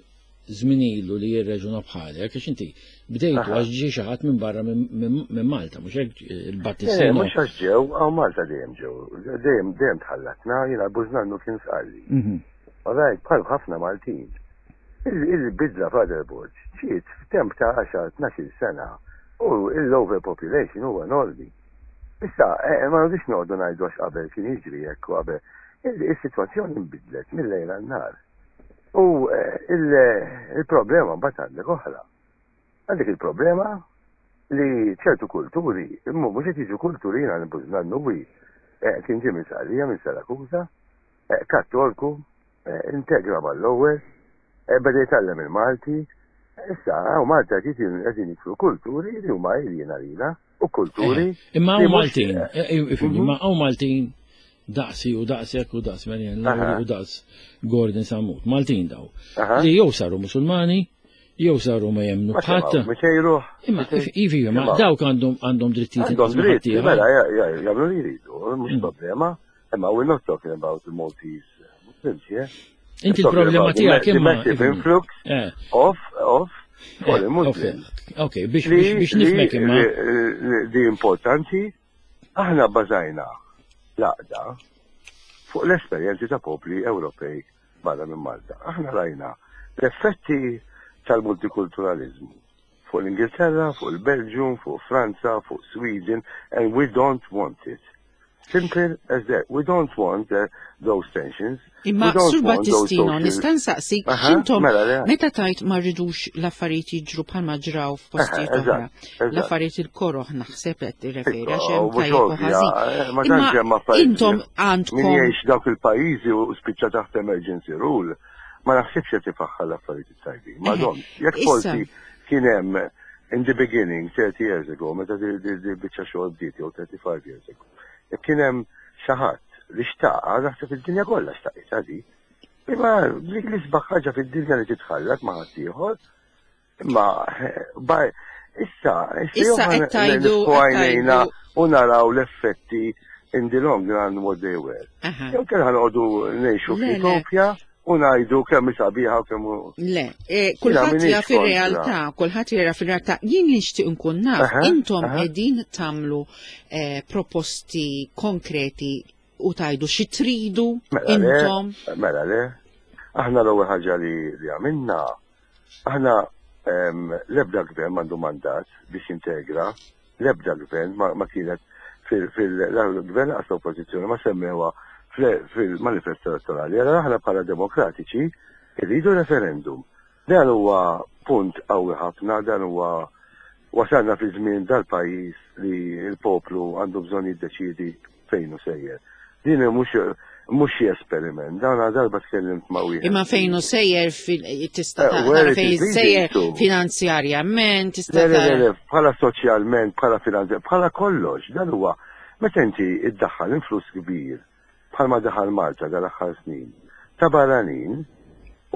żmien ilu li jirreġuna bħalek, għax inti bdejtu għax ġie xi ħadd minn barra minn Malta, mhux hekk il-Battistino. Eh, mhux għax ġew, hawn Malta dejjem ġew, dejjem dejjem tħallatna, jiena Bużnannu kien sqalli. Mhm. Alright, bħal ħafna Maltin. Il-bidla Father Borg ġiet f'temp ta' 10-12 sena u l-overpopulation huwa enormi. Issa, eh, ma rridux noqogħdu ngħidu għax qabel kien jiġri hekk u qabel. Is-sitwazzjoni nbidlet mill-lejl għan-nhar. U eh, il-problema mbagħad għandek oħra. Għandek il-problema li ċertu kulturi, imma mhux qed jiġu kulturi jiena nannuwi eh, kien ġie minn Sqallija minn Sarakusa, eh, Kattolku, integra mal-ewwel, beda jitgħallem il-Malti, issa hawn Malta qed qegħdin jidħlu kulturi li huma alien għalina. u kulturi. Eh, imma hawn Maltin, eh, eh, mhm. imma hawn Maltin daqsi u daqsek u daqs Marian Lauri u daqs Gordon Samut. Maltin daw. Li jew saru Musulmani, jew saru ma jemnu bħadd. Imma ivi, ma dawk għandhom għandhom drittijiet. Għandhom dritti, mela jagħmlu li jridu, mhux mm. problema. Imma we're not talking about the Maltese Muslims here. Inti l-problema tiegħek imma. Massive influx eh. of of foreign eh, Muslims. Ok, biex biex nifmek imma. Di importanti, aħna bażajna l-għaqda fuq l-esperjenzi ta' popli Ewropej barra minn Malta. Aħna rajna l-effetti tal-multikulturalizmu fuq l-Ingilterra, fuq il-Belgium, fuq Franza, fuq Sweden, and we don't want it. Simple as that. We don't want uh, those tensions. Imma Sur Battistino, nista' nsaqsik x'intom mela, meta tajt ma rridux l-affarijiet jiġru bħalma ġraw f'postijiet oħra. L-affarijiet il-koroħ naħseb qed tirreferi għax hemm tajjeb u ħażin. Eh, ma tantx hemm affarijiet. Intom għandkom. Min jgħix dawk il-pajjiżi u spiċċa taħt emergency rule, ma naħsibx qed ifaħħar l-affarijiet it-tajbin. Madon, jekk forsi kien hemm in the beginning, 30 years ago, meta di biċċa xogħol bdiet jew 35 years ago, jekk kien hemm xi ħadd li xtaqa, naħseb id-dinja kollha xtaqitha di. Imma dik l-isbaħ ħaġa fid-dinja li titħallat ma' ħaddieħor, imma issa, issa qed tgħidu għajnejna u naraw l-effetti in the long run what they were. Jew kellha noqogħdu ngħixu f'Utopja u ngħidu kemm hi sabiħa u kemm Le, e, kulħadd jaf ir-realtà, kulħadd jara fir-realtà. Jien li nixtieq nkun naf, intom qegħdin tagħmlu e, proposti konkreti u tajdu xi tridu mela intom. Mela le, aħna l-ewwel ħaġa li għamilna, aħna l-ebda gvern m'għandu mandat biex jintegra, l-ebda gvern ma kienet fil-gvern għas oppożizzjoni ma semmewha fil-manifest elettorali. Allora aħna bħala demokratiċi rridu referendum. Dan huwa punt qawwi ħafna, dan huwa wasalna fi żmien dal-pajjiż li l-poplu għandu bżonn jiddeċiedi fejn hu sejjer. Din mhux mhux xi esperiment, dan darba tkellimt ma' wieħed. Imma fejn hu sejjer tista' eh, tara fejn sejjer finanzjarjament, tista' Le, le, le, bħala soċjalment, bħala finanzjarjament, bħala kollox, dan huwa meta inti iddaħħal influss kbir bħalma daħal Malta dal-aħħar snin ta' barranin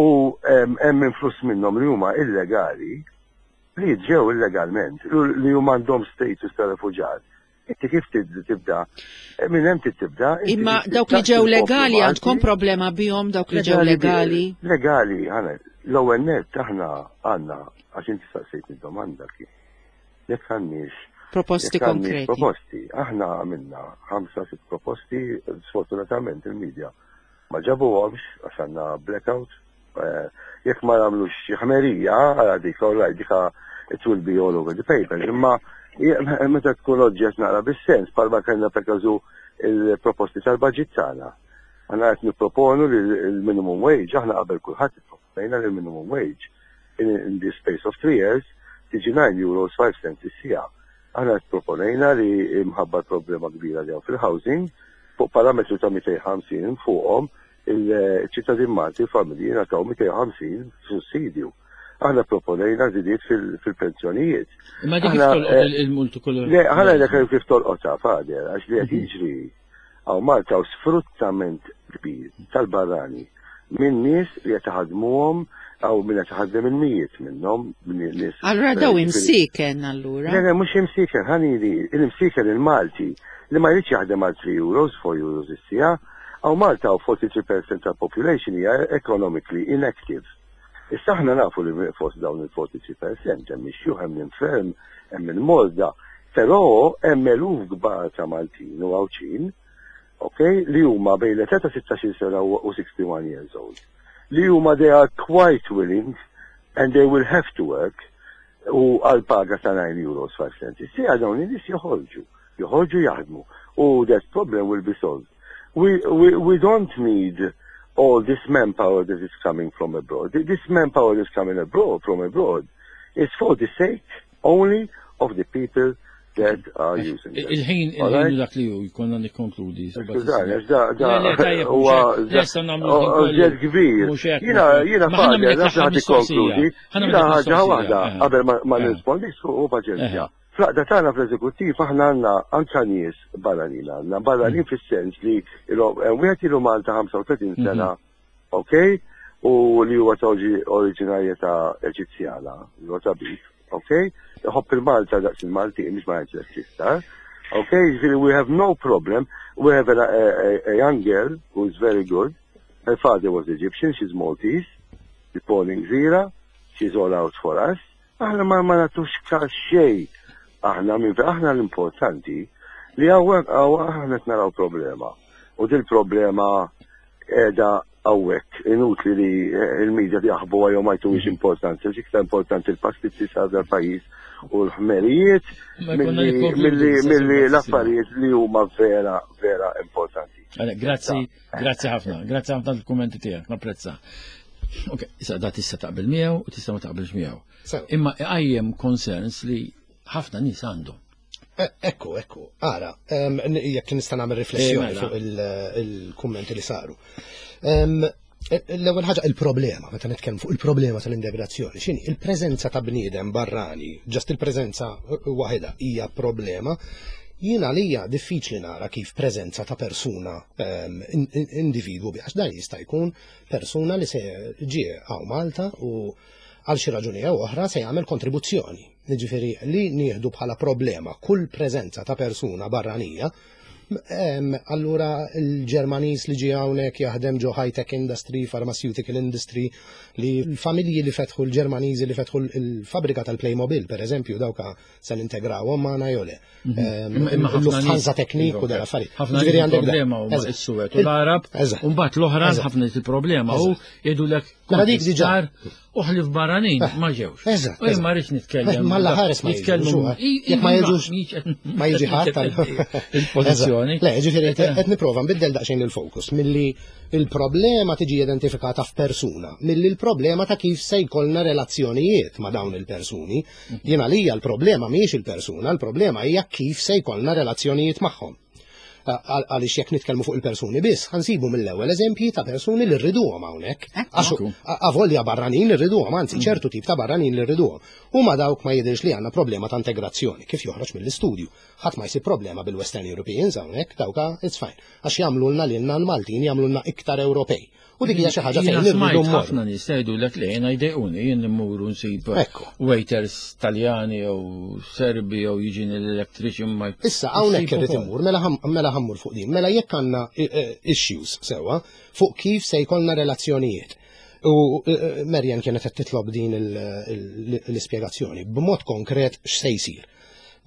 u hemm influss minnhom li huma illegali li ġew illegalment, li huma għandhom status ta' refuġat. Inti kif tibda? Eh, minn hemm tibda. Imma dawk li ġew legali għandkom problema bihom dawk li ġew legali? Legali, ħana, l-ewwel nett aħna għandna għax inti saqsejtni domanda kien. Jekk għandniex proposti konkreti. Proposti, aħna għamilna ħamsa sitt proposti, sfortunatament il-medja ma ġabuhomx għax għandna blackout. Eh, jekk ma nagħmlux xi ħmerija, għala dik, all right, dika it will be all over the papers, imma meta tkun oġġett naqra bis-sens, palma kellna per każu il-proposti tal-budget tagħna. Aħna qed nipproponu li l-minimum wage, aħna qabel kulħadd ipproponejna li l-minimum wage in, in the space of 3 years tiġi 9 euros 5 cents is-siegħa. Aħna proponejna li mħabba problema kbira li hawn fil-housing, fuq parametru ta' 250 fuqhom il-ċittadin Malti familji ngħataw 250 sussidju. Aħna proponejna żidiet fil-pensjonijiet. Imma dik kif tolqot eh, il-multikulturalizmu? Le, ħana dak kif tolqotha fader, għax li qed mhm. jiġri hawn Malta u sfruttament kbir tal-barrani minn nies li qed iħaddmuhom għaw minn qed iħaddem il-mijiet minnhom minn nies. Allura daw imsiken allura. Le, le, mhux imsiken, ħanili, il-imsiken il-Malti li ma jridx jaħdem għal 3 euros, 4 euros is-siegħa, Hawn Malta hawn 43% tal-population hija economically inactive. Issa aħna nafu li fost dawn il-43% hemm ix-xjuħ, hemm l-inferm, hemm il-morda, però hemm eluf kbar ta' Maltin u Għawdxin, ok, li huma bejn l-età ta' 16-il sena u 61 years old, li huma they are quite willing and they will have to work u għal paga ta' 9 euros 5 cents. Is-siegħa dawn in-nies joħorġu, joħorġu jaħdmu u that problem will be solved. We, we, we don't need all this manpower that is coming from abroad. This manpower that is coming abroad, from abroad is for the sake only of the people that are using it. Il-ħin, il-ħin dak li ju, jkollna nikkonkludi. Skużani, għax da, da, huwa ġed kbir. Jina, jina fader, nafx ħad ikkonkludi. Jina ħaġa waħda, qabel ma nirrispondi, u paċenzja. Fl-għaqda tagħna fl-eżekuttiv aħna għandna anka nies barranin għandna, barranin fis-sens li wieħed ilu Malta 35 sena, ok, u li huwa ta' oriġinarjetà Eġizzjana, li huwa tabib, ok, iħobb il-Malta daqs il-Maltin, mhux ma jgħidx iktar. Ok, ġifieri we have no problem, we have a, a, a young girl who is very good, her father was Egyptian, she's Maltese, born in Gżira, she's all out for us. Aħna ma ma nagħtux każ xejn. Aħna minn aħna l-importanti li hawnhekk aħna qed naraw problema. U dil problema qiegħda hawnhekk inutli li eh, il-medja jaħbuha jew ma jtuhiex importanza, għax iktar importanti l-pastizzi sar dal-pajjiż u l-ħmerijiet milli l-affarijiet li huma vera vera importanti. Grazzi, grazzi ħafna, grazzi ħafna l-kummenti tiegħek, napprezza. Ok, issa da tista' taqbel miegħu u tista' ma taqbilx miegħu. Imma iqajjem concerns li ħafna nies għandhom. E, ekku, ekku, ara, jekk nista' nagħmel riflessjoni eh, mela. fuq il-kummenti li saru. E, l-ewwel ħaġa il-problema, meta nitkellmu fuq il-problema tal-integrazzjoni, x'inhi il-preżenza ta' bniedem barrani, ġast il-preżenza waħedha hija problema. Jien għalija diffiċli nara kif preżenza ta' persuna individwu għax dan jista' jkun persuna li se ġie hawn Malta u għal xi raġuni jew oħra se jagħmel kontribuzzjoni. Jiġifieri li nieħdu bħala problema kull preżenza ta' persuna barranija Allura l-Ġermaniż li ġie hawnhekk jaħdem ġo high-tech industry, pharmaceutical industry, li l-familji li fetħu l-Ġermaniżi li fetħu l-fabrika tal-Playmobil, per eżempju, dawka se nintegrawhom magħna jew le. Mhm. Lufthansa Teknik u dal-affarijiet. Ħafna għandek problema huma s-Suwed u l-Arab, u mbagħad l-oħra ħafna il-problema u jgħidulek mela dik diġà u ħlif barranin eh, ma ġewx. Eżatt. U ma rridx nitkellem. Eh, ma ħares ma jitkellmu. Jekk ma jiġux ma jiġi ħadd il-pożizzjoni. Le, ġifieri qed nipprova nbiddel daqsxejn il-fokus milli il-problema tiġi identifikata f'persuna, milli l-problema ta' kif se jkollna relazzjonijiet ma' dawn il-persuni. Jien għalija l-problema mhijiex il-persuna, l-problema hija kif se jkollna relazzjonijiet magħhom. Għaliex jekk nitkellmu fuq il-persuni biss, ħansibu mill-ewwel eżempji ta' persuni li rriduhom hawnhekk. Għax avolja barranin irriduhom, anzi mm. ċertu tip ta' barranin li rriduhom. U ma dawk ma jidhirx li għandna problema ta' integrazzjoni, kif joħroġ mill-istudju. Ħadd ma jsib problema bil-Western Europeans hawnhekk, dawka it's fine. Għax jagħmlulna lilna l-Maltin jagħmlulna iktar Ewropej. U dik hija xi ħaġa fejn irridu mmorru. Ħafna nies jgħidulek li jiena jdejquni jien immur nsib waiters Taljani jew Serbi jew jiġini l-electrician ma. Issa hawnhekk irid immur mela, mela ħammur fuq din. Mela jekk għandna eh, eh, issues sewwa fuq kif se jkollna relazzjonijiet. U eh, Marian kienet qed titlob din l-ispjegazzjoni b'mod konkret x'se jsir.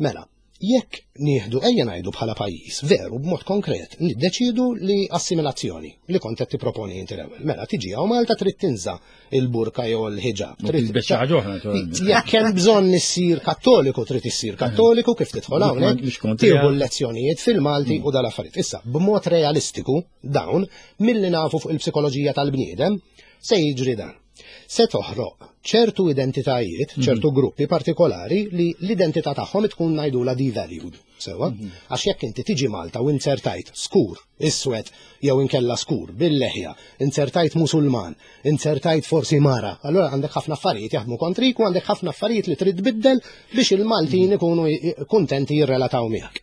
Mela, Jekk nieħdu ejja ngħidu bħala pajjiż, veru b'mod konkret, niddeċiedu li assimilazzjoni, li kont qed tipproponi inti l-ewwel. Mela tiġi hawn Malta trid tinża' il-burka jew il-ħiġab. Trid tilbes xi ħaġa oħra naturalment. Jekk hemm bżonn issir Kattoliku trid issir Kattoliku kif tidħol hawnhekk, tieħu l-lezzjonijiet fil-Malti u dal-affarijiet. Issa, b'mod realistiku dawn milli nafu fuq il-psikoloġija tal-bniedem se jiġri dan. Se toħroq ċertu identitajiet, mhm. ċertu gruppi partikolari li l-identità tagħhom tkun ngħidula devalued. Sewa? Mhm. Għax jekk inti tiġi Malta u inzertajt skur, iswed jew inkella skur bil-leħja, inzertajt musulman, inzertajt forsi mara, allura għandek ħafna affarijiet jaħdmu kontrik u għandek ħafna affarijiet li trid tbiddel biex il-Maltin mhm. ikunu kuntenti jirrelataw miegħek.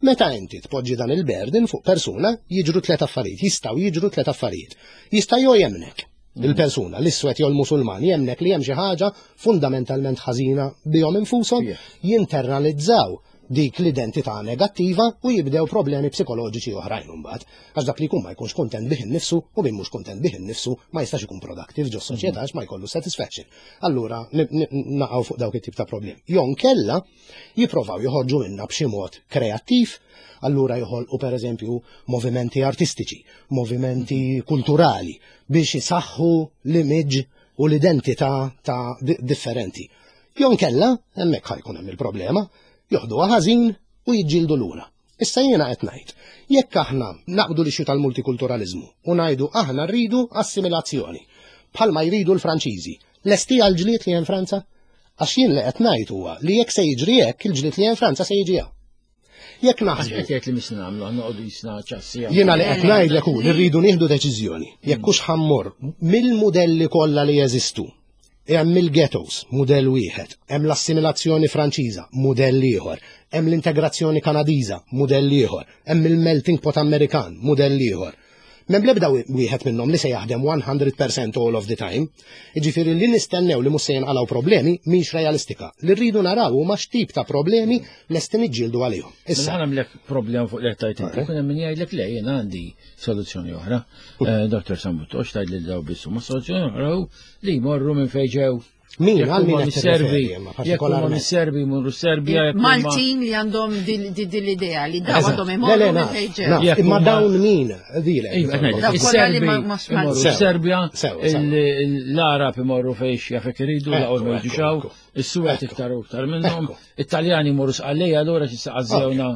Meta inti tpoġġi dan il-burden fuq persuna, jiġru tliet affarijiet, jistgħu jiġru tliet affarijiet. Jista' jew jemnek, Il-persuna, l-iswed jew l-Musulman, jemnek li hemm xi ħaġa fundamentalment ħażina bihom infushom, jinternalizzaw dik l-identità negattiva u jibdew problemi psikoloġiċi oħrajn imbagħad. Għax dak li jkun ma jkunx kuntent bih innifsu u min mhux kuntent bih innifsu ma jistax ikun productive ġo soċjetà għax ma jkollu satisfaction. Allura naqgħu fuq dawk it-tip ta' problemi. Jew nkella jipprovaw joħorġu minna b'xi mod kreattiv, allura joħolqu pereżempju movimenti artistiċi, movimenti kulturali biex isaħħu l-image u l-identità ta' differenti. Jew nkella, hemmhekk ħajkun hemm il-problema, joħduha ħażin u jiġġieldu lura. Issa jiena qed ngħid, jekk aħna naqbdu l-issue tal-multikulturaliżmu u ngħidu aħna rridu assimilazzjoni, bħalma jridu l-Franċiżi, lesti għall-ġlied li hemm Franza? Għax jien li qed ngħid huwa li jekk se jiġri hekk, il-ġlied li hemm Franza se jiġi hawn. Jekk naħsbu. Qed jgħid li mhix nagħmlu, għandna noqogħdu jisna ċassi. Jiena li qed ngħidlek hu li rridu nieħdu deċiżjoni. Jekk hux ħammur mill-mudelli kollha li jeżistu, Hemm il-ghettos, mudell wieħed, hemm l-assimilazzjoni Franċiża, mudell ieħor, hemm l-integrazzjoni Kanadiża, mudell ieħor, hemm il-melting pot Amerikan, mudell ieħor. M'hemm l-ebda wieħed minnhom li se jaħdem 100% all of the time. Jiġifieri li nistennew li mhux se jinqalgħu problemi mhix realistika. Li rridu naraw huma x'tip ta' problemi lesti niġġieldu għalihom. Issa nagħmlek problema fuq li qed tgħid inti, kun hemm min jgħidlek le jien għandi soluzzjoni oħra. Eh, Dr. Sammut, tgħid lil daw biss, ma soluzzjoni oħra Li jmorru minn fejn ġew. Min għal min qed Serbi, jekk huma mis-Serbi jmorru Serbja. Maltin li għandhom din l-idea li daw għandhom imorru minn fejn ġew. Imma dawn min dilek. Iva, Is-Serbi imorru Serbja, l-Arab imorru fejn jafek iridu, laqgħu ma jiġu is-Suwed iktar u iktar minnhom, it-Taljani jmorru Sqallija allura xi saqażewna,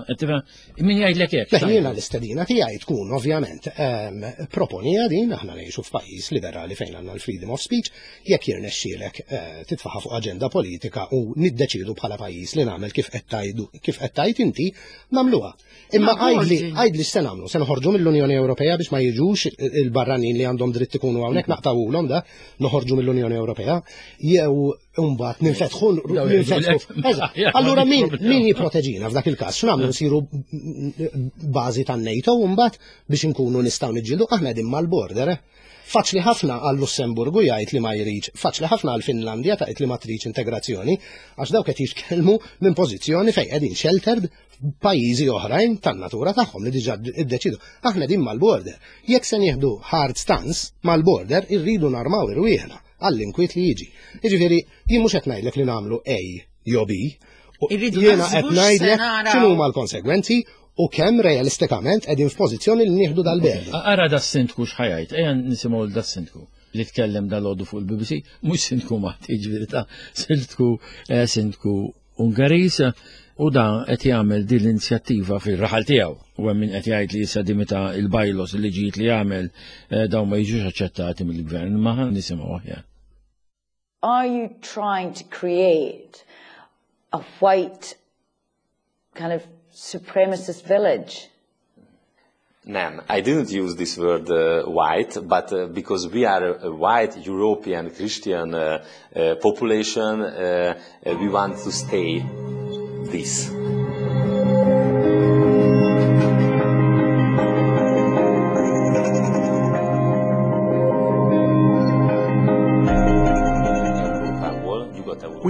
min jgħidlek hekk. Jiena l-istedina tiegħi tkun ovvjament ehm, proponija din aħna ngħixu f'pajjiż liberali fejn għandna l-freedom of speech, jekk jirnexxielek eh, titfaħa fuq aġenda politika u niddeċidu bħala pajjiż li nagħmel kif qed tgħidu kif qed tgħid inti, nagħmluha. Imma għajdli għajdli x'se nagħmlu, se noħorġu mill-Unjoni Ewropea biex ma jiġux il-barranin li għandhom dritt ikunu hawnhekk naqtawulhom da, noħorġu mill-Unjoni Ewropea, jew Umbat, ninfetħu, ninfetħu. Allura min, min jiproteġina f'dak il-każ? X'nagħmlu nsiru bażi tan-NATO mbagħad biex inkunu nistgħu niġġieldu aħna qegħdin mal-border. Eh? Faċli ħafna għal Lussemburgu jgħid li ma jridx, faċli ħafna għal Finlandja tgħid li ma tridx integrazzjoni, għax dawk qed jitkellmu minn pożizzjoni fejn qegħdin sheltered pajjiżi oħrajn tan-natura tagħhom li diġà iddeċidu. Aħna qegħdin mal-border. Jekk se nieħdu hard stance mal-border, irridu narmaw irwieħna. għall-inkwiet li jiġi. Jiġifieri, jien mhux qed ngħidlek li nagħmlu A jew B, jiena qed ngħidlek x'inhuma l-konsegwenzi u kemm realistikament qegħdin f'pożizzjoni li nieħdu dal-berda. Ara da sindku x'ħajajt, ejja nisimgħu da sindku li tkellem dal-għodu fuq il-BBC, mhux sindku Malti, ġifieri ta' sindku eh, sindku Ungeriż u da qed jagħmel din l-inizjattiva fir-raħal tiegħu. U hemm min qed jgħid li issa di meta il-bajlos li ġiet li jagħmel eh, dawn ma jiġux aċċettati mill-gvern, ma ħan nisimgħu aħjar. Are you trying to create a white kind of supremacist village? Nem, I didn't use this word uh, white, but uh, because we are a, a white European Christian uh, uh, population, uh, uh, we want to stay this.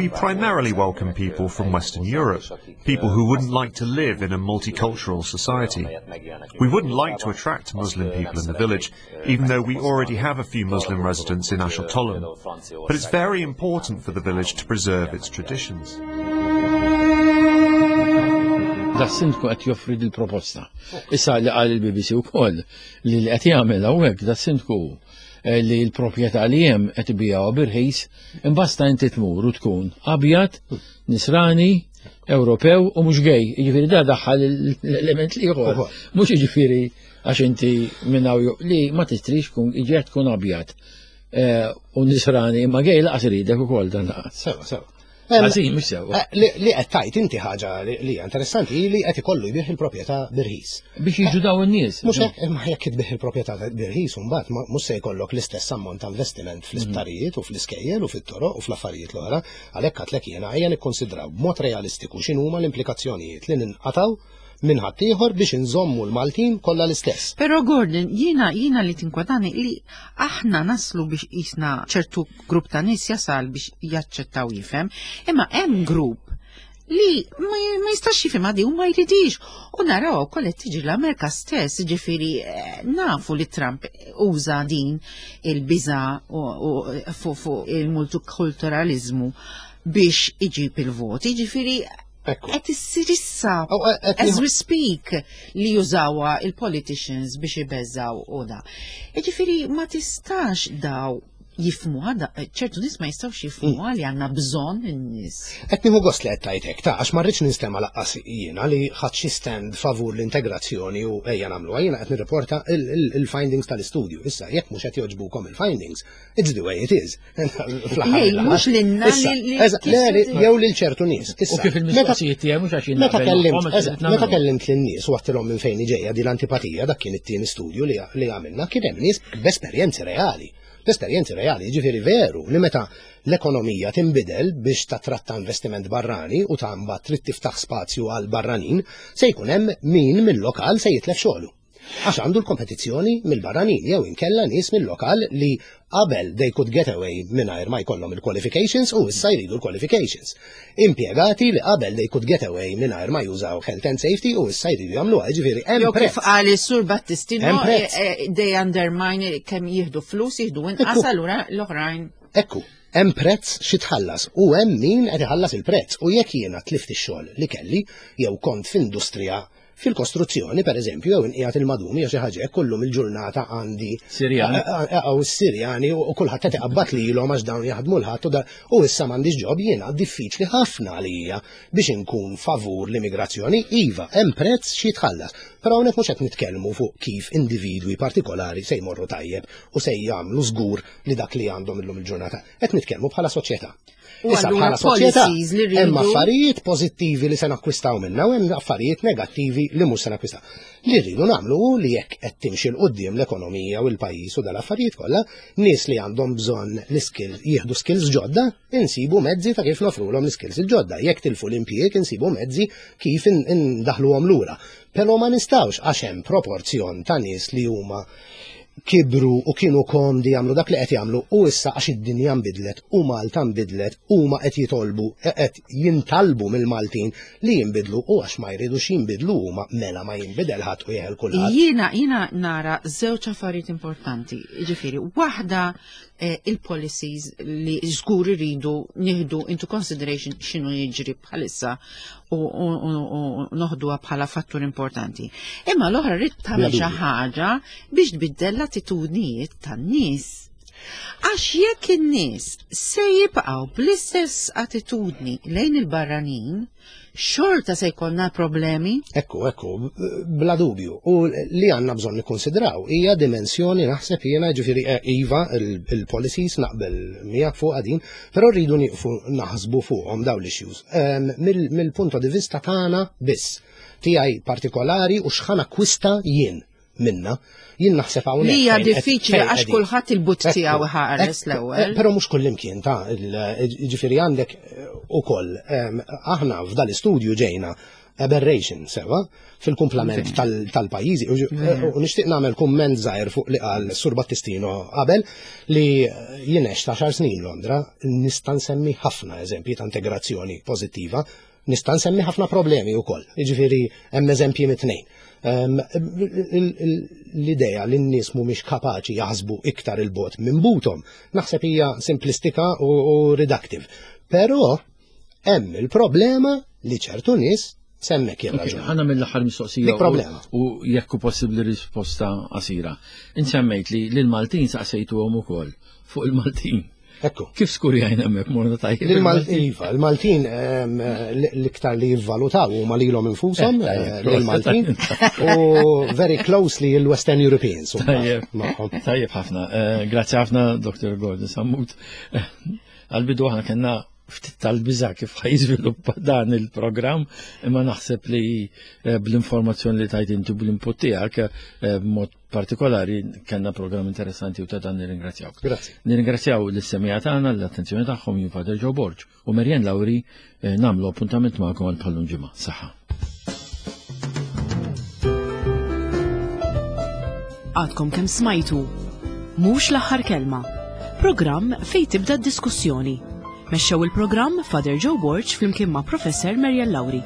We primarily welcome people from Western Europe, people who wouldn't like to live in a multicultural society. We wouldn't like to attract Muslim people in the village, even though we already have a few Muslim residents in Ásotthalom. But it's very important for the village to preserve its traditions. Da sindku qed joffri dil-proposta. Issa li qal il-BBC wkoll li li qed jagħmel hawnhekk da sindku eh, li l-proprjetà li hemm qed ibigħuha birħis, imbasta inti tmur u tkun abjad, nisrani, Ewropew u mhux gay. Jiġifieri da daħħal l-element l-ieħor. Mhux jiġifieri għax inti minn hawn li ma tistrix kun jiġi tkun abjad eh, u nisrani imma gay laqas iridek ukoll dan laqas. Sewa, sewa. Ħażin mhux sewa. Eh, li qed tajt inti ħaġa li hija interessanti li qed ikollu jbih il-proprjetà birħis. Biex jiġu daw in-nies. Mhux hekk, imma jekk itbih il-proprjetà birħis imbagħad mhux se jkollok l-istess ammont ta' investiment fl-isptarijiet u fl-iskejjel u fit-toroq u fl-affarijiet l-oħra. Għalhekk għadtlek jiena ejja nikkonsidraw b'mod realistiku x'inhuma l-implikazzjonijiet li ninqatgħu minn ħaddieħor biex inżommu l-Maltin kollha l-istess. Però Gordon, jiena jiena li tinkwetani li aħna naslu biex qisna ċertu grupp ta' nies jasal biex jaċċettaw jifhem, imma hemm grupp li ma jistax jifhem għadi u ma jridix. U naraw ukoll qed tiġi l-Amerika stess, ġifieri eh, nafu li Trump uża din il-biża fuq il-multikulturalizmu biex iġib il-voti, ġifieri qed issir issa eh, as we speak li jużawha il-politicians biex ibeżaw u da. Ġifieri ma tistax daw jifmu għada, ċertu nis ma jistawx jifmu mm. li għanna bżon n-nis. Qed nieħu gost li qed tajtek ta' għax ma rridx ninstema' laqqas jiena li ħadd xi stand favur l-integrazzjoni u ejja nagħmluha jiena qed nirriporta il-findings tal-istudju. Issa jekk mhux qed jogħġbukom il-findings, it's the way it is. Mhux lilna jew lil ċertu nies. U kif il-mistoqsijiet tiegħi mhux għax Meta kellimt meta kellimt lin-nies u għattilhom minn fejn ġejja din l-antipatija dak kien it-tieni studju li għamilna kien hemm nies b'esperjenzi reali L-esperjenzi reali, jiġifieri veru li meta l-ekonomija tinbidel biex tattratta investiment barrani u ta' mbagħad trid tiftaħ spazju għal barranin, se jkun hemm min mill-lokal se jitlef xogħlu. Għax għandu l-kompetizzjoni mill-barranin jew inkella nies mill-lokal li qabel they could get away mingħajr ma jkollhom il-qualifications u issa jridu l-qualifications. Impjegati li qabel they could get away mingħajr ma jużaw health and safety u issa jridu jagħmluha, jiġifieri hemm Jew kif qal is-Sur Battistino, eh, eh, they undermine kemm jieħdu flus, jieħdu inqas allura l-oħrajn. Ekku, hemm prezz xi tħallas u hemm min qed iħallas il-prezz u jekk jiena tlift ix-xogħol li kelli jew kont f'industrija Fil-kostruzzjoni, per eżempju, jew inqiegħed il-madum jew xi ħaġa hekk kullum il-ġurnata għandi. Sirjani. Għaw is-Sirjani u kulħadd qed iqabbad lilhom għax dawn jaħdmu l-ħadd u u issa m'għandix ġob jiena diffiċli ħafna għalija biex inkun favur l-immigrazzjoni. Iva, hemm prezz xi jitħallas. Però hawnhekk mhux qed nitkellmu fuq kif individwi partikolari se jmorru tajjeb u se jagħmlu żgur li dak li għandhom illum il-ġurnata. Qed nitkellmu bħala soċjetà. Issa bħala soċjetà hemm affarijiet pożittivi li se nakkwistaw minna u hemm affarijiet negattivi li mhux se nakkwistaw. Li rridu nagħmlu hu li jekk qed timxi 'l quddiem l-ekonomija u l-pajjiż u dal-affarijiet kollha, nies li għandhom bżonn l-iskill jieħdu skills ġodda, insibu mezzi ta' kif nofrulhom l-iskills il-ġodda. Jekk tilfu l-impjieg insibu mezzi kif indaħluhom lura. Però ma nistgħux għax hemm proporzjon ta' nies li huma kibru u kienu komdi jagħmlu dak li qed jagħmlu u issa għax id-dinja nbidlet u Malta nbidlet huma qed jitolbu qed jintalbu mill-Maltin li jinbidlu u għax ma jridux jinbidlu huma mela ma jinbidel ħadd u jeħel kulħadd. Jiena jiena nara żewġ affarijiet importanti, jiġifieri waħda eh, il-policies li żgur iridu nieħdu into consideration x'inhu jiġri bħalissa u noħduha bħala fattur importanti. Imma l-oħra rrid tagħmel xi ħaġa biex tbiddel l-attitudnijiet tan-nies. Għax jekk in-nies se jibqgħu bl-istess attitudni lejn il-barranin, xorta se jkollna problemi. Ekku, ekku, bla dubju. U li għandna bżonn nikkonsidraw hija dimensjoni naħseb jiena ġifieri eh, iva il-policies naqbel miegħek fuq din, però rridu nieqfu naħsbu fuqhom dawn l-issues. Ehm, mill-punto di vista tagħna biss, tiegħi partikolari u x'ħan akkwista jien minna. Jien naħseb hawnhekk. Li hija diffiċli għax kulħadd il-but tiegħu ħares l-ewwel. Eh, però mhux kullimkien ta' ġifieri għandek eh, ukoll ehm, aħna f'dal-istudju ġejna aberration sewa fil-kumplament tal-pajjiżi. U nixtieq nagħmel kumment żgħir fuq li qal Sur Battistino qabel li jien għext għaxar snin Londra, nista' nsemmi ħafna eżempji ta' integrazzjoni pożittiva, nista' nsemmi ħafna problemi wkoll. Jiġifieri hemm eżempji mit-tnejn. L-idea li n-nies mhumiex kapaċi jaħsbu iktar il-bot minn buthom, naħseb hija simplistika u reductive. Però hemm il-problema li ċertu nies semmek jirraġun. Ħana mill-aħħar mistoqsija. Dik problema. U jekk hu possibbli risposta qasira. Insemmejt li l-Maltin saqsejtuhom ukoll fuq il-Maltin. Ekku. Kif skurjajna hemmhekk morna tajjeb? Iva, il-Maltin l-iktar li jivvalutaw huma lilhom infushom, eh, eh, l-Maltin, u very closely il-Western Europeans. Tajjeb, tajjeb ħafna. Eh, grazzi ħafna, Dr. Gordon Sammut. Għal-bidu aħna kellna ftit tal-biża kif ħajżviluppa dan il-programm, imma naħseb li eh, bl-informazzjoni li tajt inti bl-input tiegħek eh, b'mod partikolari kellna programm interessanti u ta' dan nirringrazzjawk. Grazzi. Nirringrazzjaw l-semija tagħna l-attenzjoni tagħhom jien Father Joe Borg u Marianne Lauri eh, nagħmlu appuntament magħkom għal bħallum ġimgħa. Saħħa. Għadkom kemm smajtu. Mhux l-aħħar kelma. Programm fejn tibda d-diskussjoni. Mexxew il-programm Father Joe Borg flimkien ma' Professor Marian Lauri.